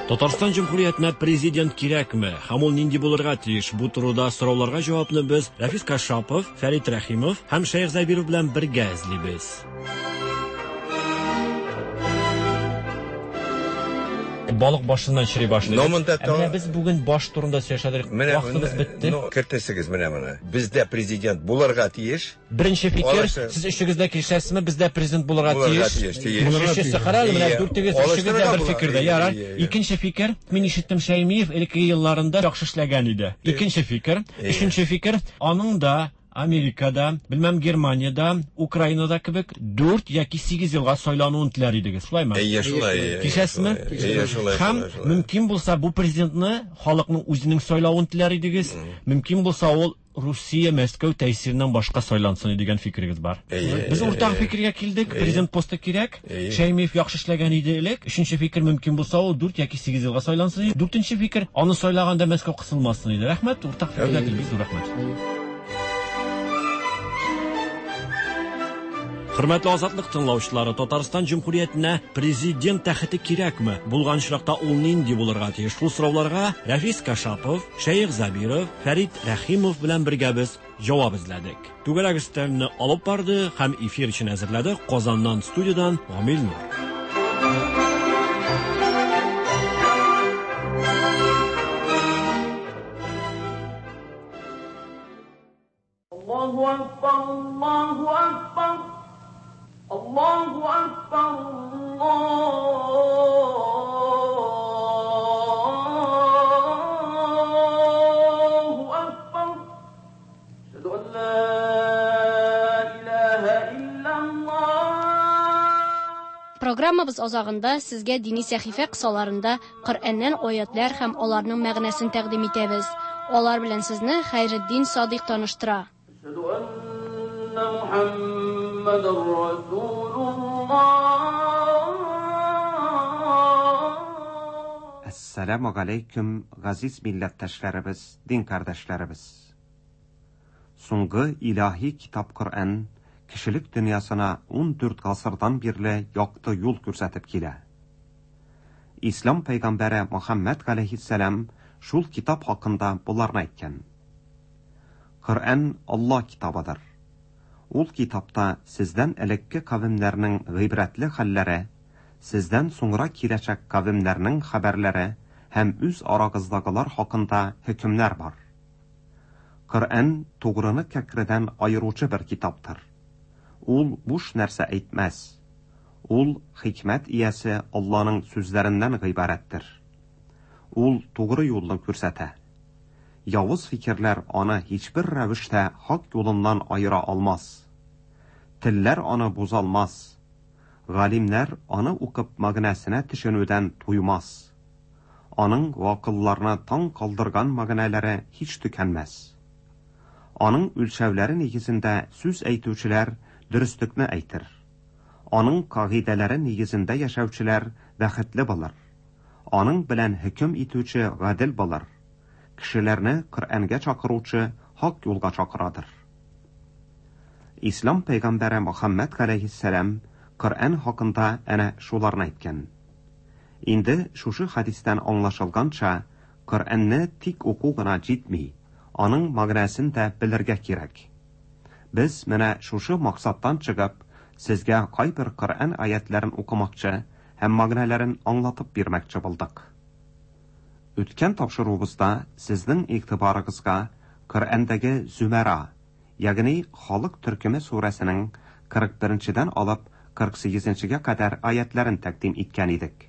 Татарстан Җөмһүриятенә президент кирәкме? Һәм ул нинди булырга тиеш? Бу турыда сорауларга җавапны без Рәфис Кашапов, Фәрит Рәхимов һәм Шәех Зәбиров белән бергә эзлибез. Балык башыннан чери башлый. Менә без бүген баш турында сөйләшәдек. Вакытыбыз бетте. Ну, кертәсегез менә моны. Бездә президент булырга тиеш. Беренче фикер, сез өчегез дә килешәсезме? Бездә президент булырга тиеш. Өченче карар, менә дүртегез өчегез дә бер фикердә. Ярар. Икенче фикер, мин ишеттем, Шәймиев элекке елларында яхшы эшләгән иде. Икенче фикер, өченче фикер, аның да Америкада, белмәм Германиядә, Украинада кебек дүрт яки сигез елга сайлануын теләр идегез, шулаймы? Әйе, шулай. Килешәсезме? Әйе, шулай. Һәм мөмкин булса бу президентны халыкның үзенең сайлавын теләр идегез. Мөмкин булса ул Русия Мәскәү тәэсиреннән башка сайлансын дигән фикерегез бар. Без уртак фикергә килдек, президент посты кирәк. Шәймиев яхшы эшләгән иде элек. Өченче фикер, мөмкин булса ул дүрт яки сигез елга сайлансын. Дүртенче фикер, аны сайлаганда Мәскәү кысылмасын иде. Рәхмәт, уртак фикергә килдек, зур рәхмәт. Хөрмәтле Азатлык тыңлаучылары, Татарстан Җөмһүриятенә президент тәхете кирәкме? Булган очракта ул нинди булырга тиеш? Шул сорауларга Рәфис Кашапов, Шәех Зәбиров, Фәрит Рәхимов белән бергә без җавап эзләдек. Түгәрәк өстәлне алып барды һәм эфир өчен әзерләде Казаннан студиядан Гамил Нур. Аллаһу акбар, Аллаһу акбар. Allahu Akbar. Программабыз азагында сезгә дини сәхифә кысаларында Коръәннән аятлар һәм аларның мәгънәсен тәкъдим итәбез. Алар белән сезне Хәйретдин Садыйк таныштыра. Әссәламу галәйкүм, газиз милләттәшләребез, дин кардәшләребез. Соңгы илаһи китап Коръән кешелек дөньясына ун дүрт гасырдан бирле якты юл күрсәтеп килә. Ислам пәйгамбәре Мөхәммәд галәйһиссәлам шул китап хакында боларны әйткән. Коръән Алла китабыдыр. Ул китапта сездән элекке кавемнәрнең гыйбрәтле хәлләре, сездән соңра киләчәк кавемнәрнең хәбәрләре һәм үз арагыздагылар хакында хөкемнәр бар. Коръән тугрыны кәкредән аеручы бер китаптыр. Ул буш нәрсә әйтмәс. Ул хикмәт иясе Алланың сүзләреннән гыйбарәттер. Ул тугры юлны күрсәтә. Явыз фикерләр аны һичбер рәвештә хак юлыннан аера алмас. Телләр аны бузалмас. Галимнәр аны укып мәгънәсенә төшенүдән туймас. Аның вакылларны таң калдырган мәгънәләре һич төкәнмәс. Аның үлчәүләре нигезендә сүз әйтүчеләр дөреслекне әйтер. Аның кагыйдәләре нигезендә яшәүчеләр бәхетле булыр. Аның белән хөкем итүче гадел булыр. Кешеләрне Коръәнгә чакыручы хак юлга чакырадыр. Ислам пәйгамбәре Мөхәммәд галәйһиссәлам Коръән хакында әнә шуларны әйткән. Инде шушы хәдистән аңлашылганча, Коръәнне тик уку гына җитми, аның мәгънәсен дә белергә кирәк. Без менә шушы максаттан чыгып, сезгә кайбер Коръән аятларын укымакчы һәм мәгънәләрен аңлатып бирмәкче булдык. Үткән тапшыруыбызда сезнең игътибарыгызга Коръәндәге Зүмәра, ягъни халык төркеме сүрәсенең кырык беренчедән алып кырык сигезенчегә кадәр аятларын тәкъдим иткән идек.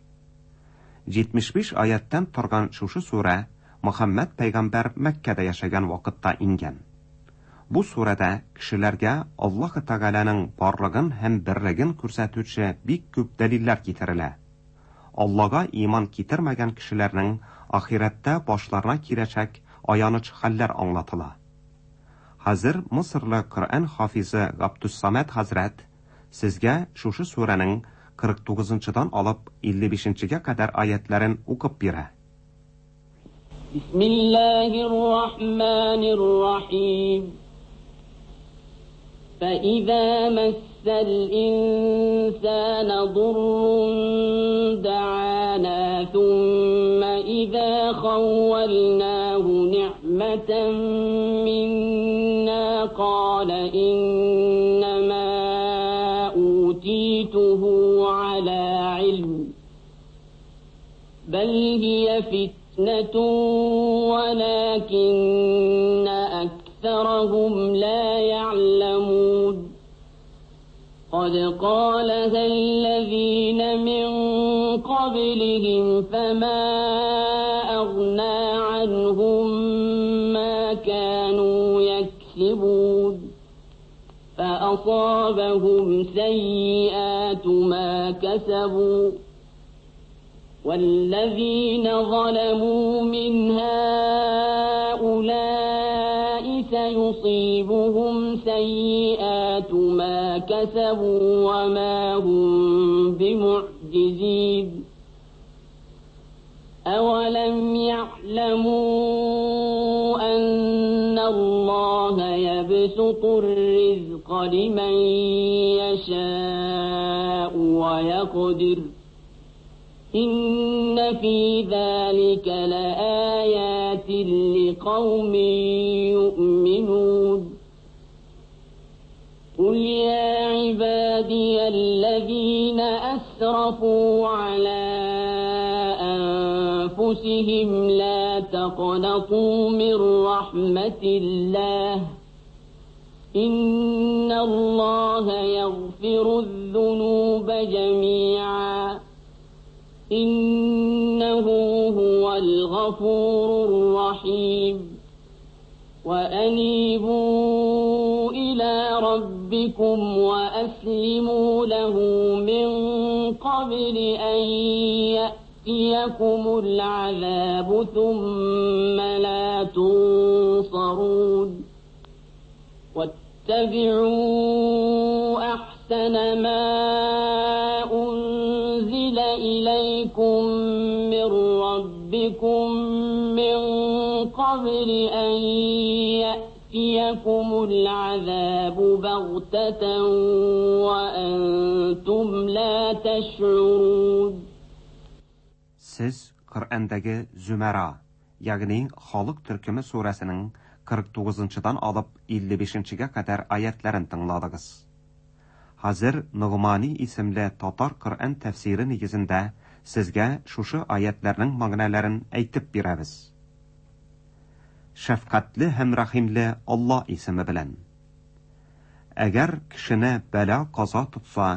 Җитмеш биш аяттан торган шушы сүрә Мөхәммәд пәйгамбәр Мәккәдә яшәгән вакытта ингән. Бу сүрәдә кешеләргә Аллаһ Тәгаләнең барлыгын һәм берлеген күрсәтүче бик күп дәлилләр китерелә. Аллага иман китермәгән кешеләрнең ахирәттә башларына киләчәк аяныч хәлләр аңлатыла. Хәзер Мисырлы Коръән хафизы Габдуссамәд хәзрәт сезгә шушы сүрәнең кырык тугызынчыдан алып илле бишенчегә кадәр аятларын укып бирә. Бисмиллаһир-рахманир-рахим. فإذا مس الإنسان ضر دعانا ثم إذا خولناه نعمة منا قال إنما أوتيته على علم بل هي فتنة ولكن أكثرهم لا يعلمون. قد قالها الذين من قبلهم فما أغنى عنهم ما كانوا يكسبون فأصابهم سيئات ما كسبوا والذين ظلموا من هؤلاء سيصيبهم سيئات ما كسبوا وما هم بمعجزين. أولم يعلموا أن الله يبسط الرزق لمن يشاء ويقدر إن في ذلك لآيات لقوم يؤمنون. قل يا عبادي الذين أسرفوا على أنفسهم لا تقنطوا من رحمة الله إن الله يغفر الذنوب جميعا إنه هو الغفور الرحيم. وأنيبوا إلى ربكم وأسلموا له من قبل أن يأتيكم العذاب ثم لا تنصرون. واتبعوا أحسن ما أنزل إليكم من ربكم من قبل أن يأتيكم العذاب بغتة وأنتم لا تشعرون. Siz Qur'ondagi Zümera, ya'ni Xalq türkümü surəsinin qırq to'qqizinchidan olib ellik beshinchiga qadar oyatlarini tingladingiz. Hozir Nug'mani ismli tatar Qur'on tafsiri negizida sizga shushu oyatlarning ma'nolarini aytib beramiz. Şəfqətli həm rəhimli Allah ismi bilan. Agar kishini balo qazo tutsa,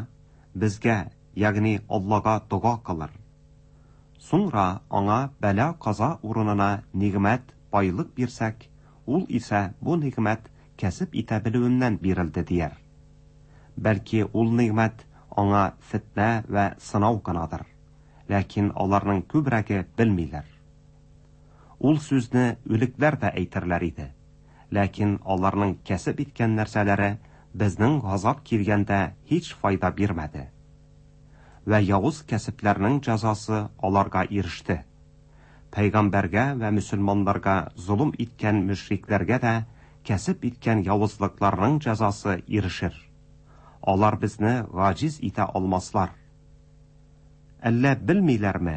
bizga, ya'ni Allohga duo qilar. So'ngra anga balo qazo o'rnina ne'mat, boylik bersak, ul esa bu ne'mat kasb eta biluvimdan berildi deyar. Balki ul ne'mat anga fitna va sinov g'anadir. Lekin ularning ko'pragi bilmaylar. Ul so'zni o'liklar da aytirlar edi. Lekin ularning kasb etgan narsalari bizning g'azob kelganda hech foyda bermadi. Va yovuz kasblarning jazosi ularga erishdi. Payg'ambarga va musulmonlarga zulm etgan mushriklarga da kasb etgan yovuzliklarning jazosi erishir. Ular bizni g'ojiz eta olmaslar. Alla bilmaylarmi?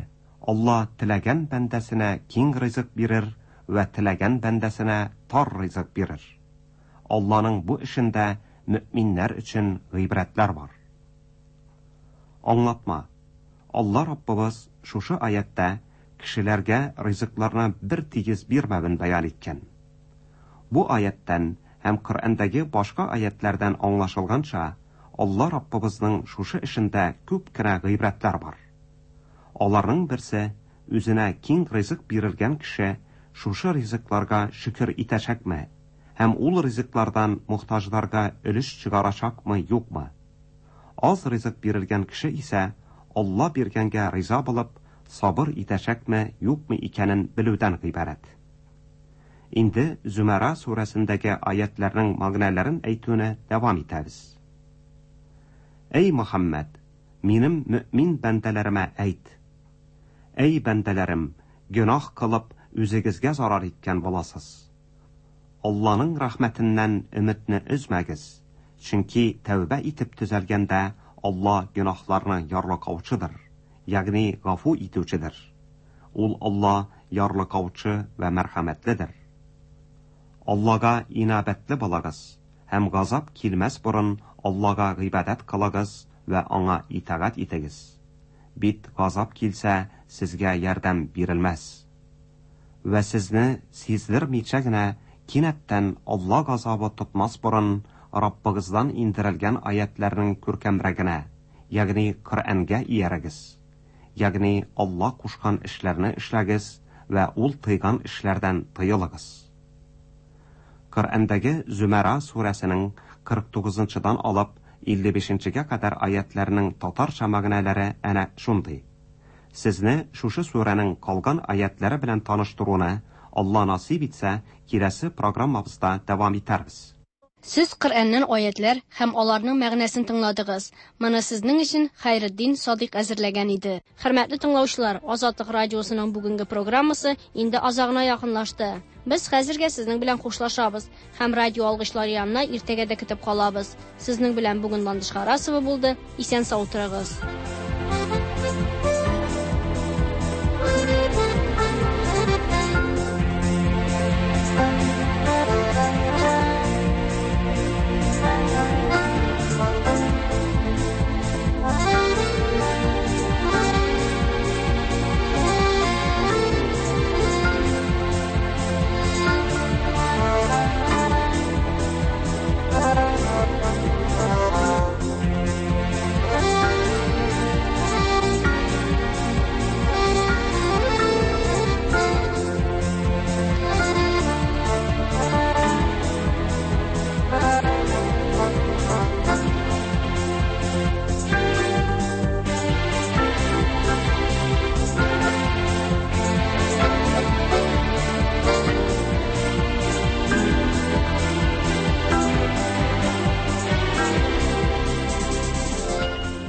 Alloh tilagan bandasina keng rizq berir va tilagan bandasina tor rizq berir. Allohning bu ishinda müminlar uchun g'ibratlar bor. Anglatma. Alloh Robbimiz shushu oyatda kishilarga rizqlarni bir tegiz bermavini bayon etgan. Bu oyatdan ham Qur'ondagi boshqa oyatlardan anglashilgancha, Alloh Robbimizning shushu ishinda ko'pgina g'ibratlar bor. Ularning birsi o'zina keng rizq berilgan kishi shushu rizqlarga shukr etashakmi, ham ul rizqlardan muhtojlarga ulush chiqarashakmi yo'qmi? Oz rizq berilgan kishi esa Alloh berganga rizo bo'lib, sabr etashakmi yo'qmi ekanin biluvdan iborat. Endi Zumara surasindagi oyatlarning ma'nolarini aytuvni davom etamiz. Ey Muhammad, menim mümin bandalarimga ayt. Ey bandalarim, gunoh qilib o'zingizga zarar etgan bo'lasiz. Allohning rahmatidan umidni uzmagiz. Chunki tavba etib tuzalganda Alloh gunohlarni yorliqovchidir, ya'ni g'afu etuvchidir. Ul Alloh yorliqovchi va marhamatlidir. Allohga inobatli bo'lagiz, ham g'azab kelmas burun Allohga ibodat qilagiz va anga itoat etigiz. Bit g'azab kelsa sizga yordam berilmas. Va sizni sezdirmaychagina kinatdan Alloh g'azobi tutmas burun Robbingizdan indirilgan oyatlarning ko'rkamragina, ya'ni Qur'onga iyaragiz. Ya'ni Alloh qo'shgan ishlarni ishlagiz va ul tiygan ishlardan tiyiligiz. Qur'ondagi Zumara surasining qirq to'qqizinchidan olib ellik beshinchiga qadar oyatlarning tatarcha ma'nolari ana shunday. Sizni shushu suraning qolgan oyatlari bilan tanishtiruvni Alloh nasib etsa, kelasi programmamizda davom etarmiz. Siz Qur'ondan oyatlar ham ularning ma'nosini tingladingiz. Mana sizning uchun Xayriddin Sodiq hazırlagan edi. Hurmatli tinglovchilar, Ozodlik radiosining bugungi programmasi endi ozog'ina yaqinlashdi. Biz hozirga sizning bilan xo'shlashamiz ham radio olg'ichlari yanına ertaga kutib qolamiz. Sizning bilan bugun Landish Xarasova bo'ldi. Esen sog' turingiz.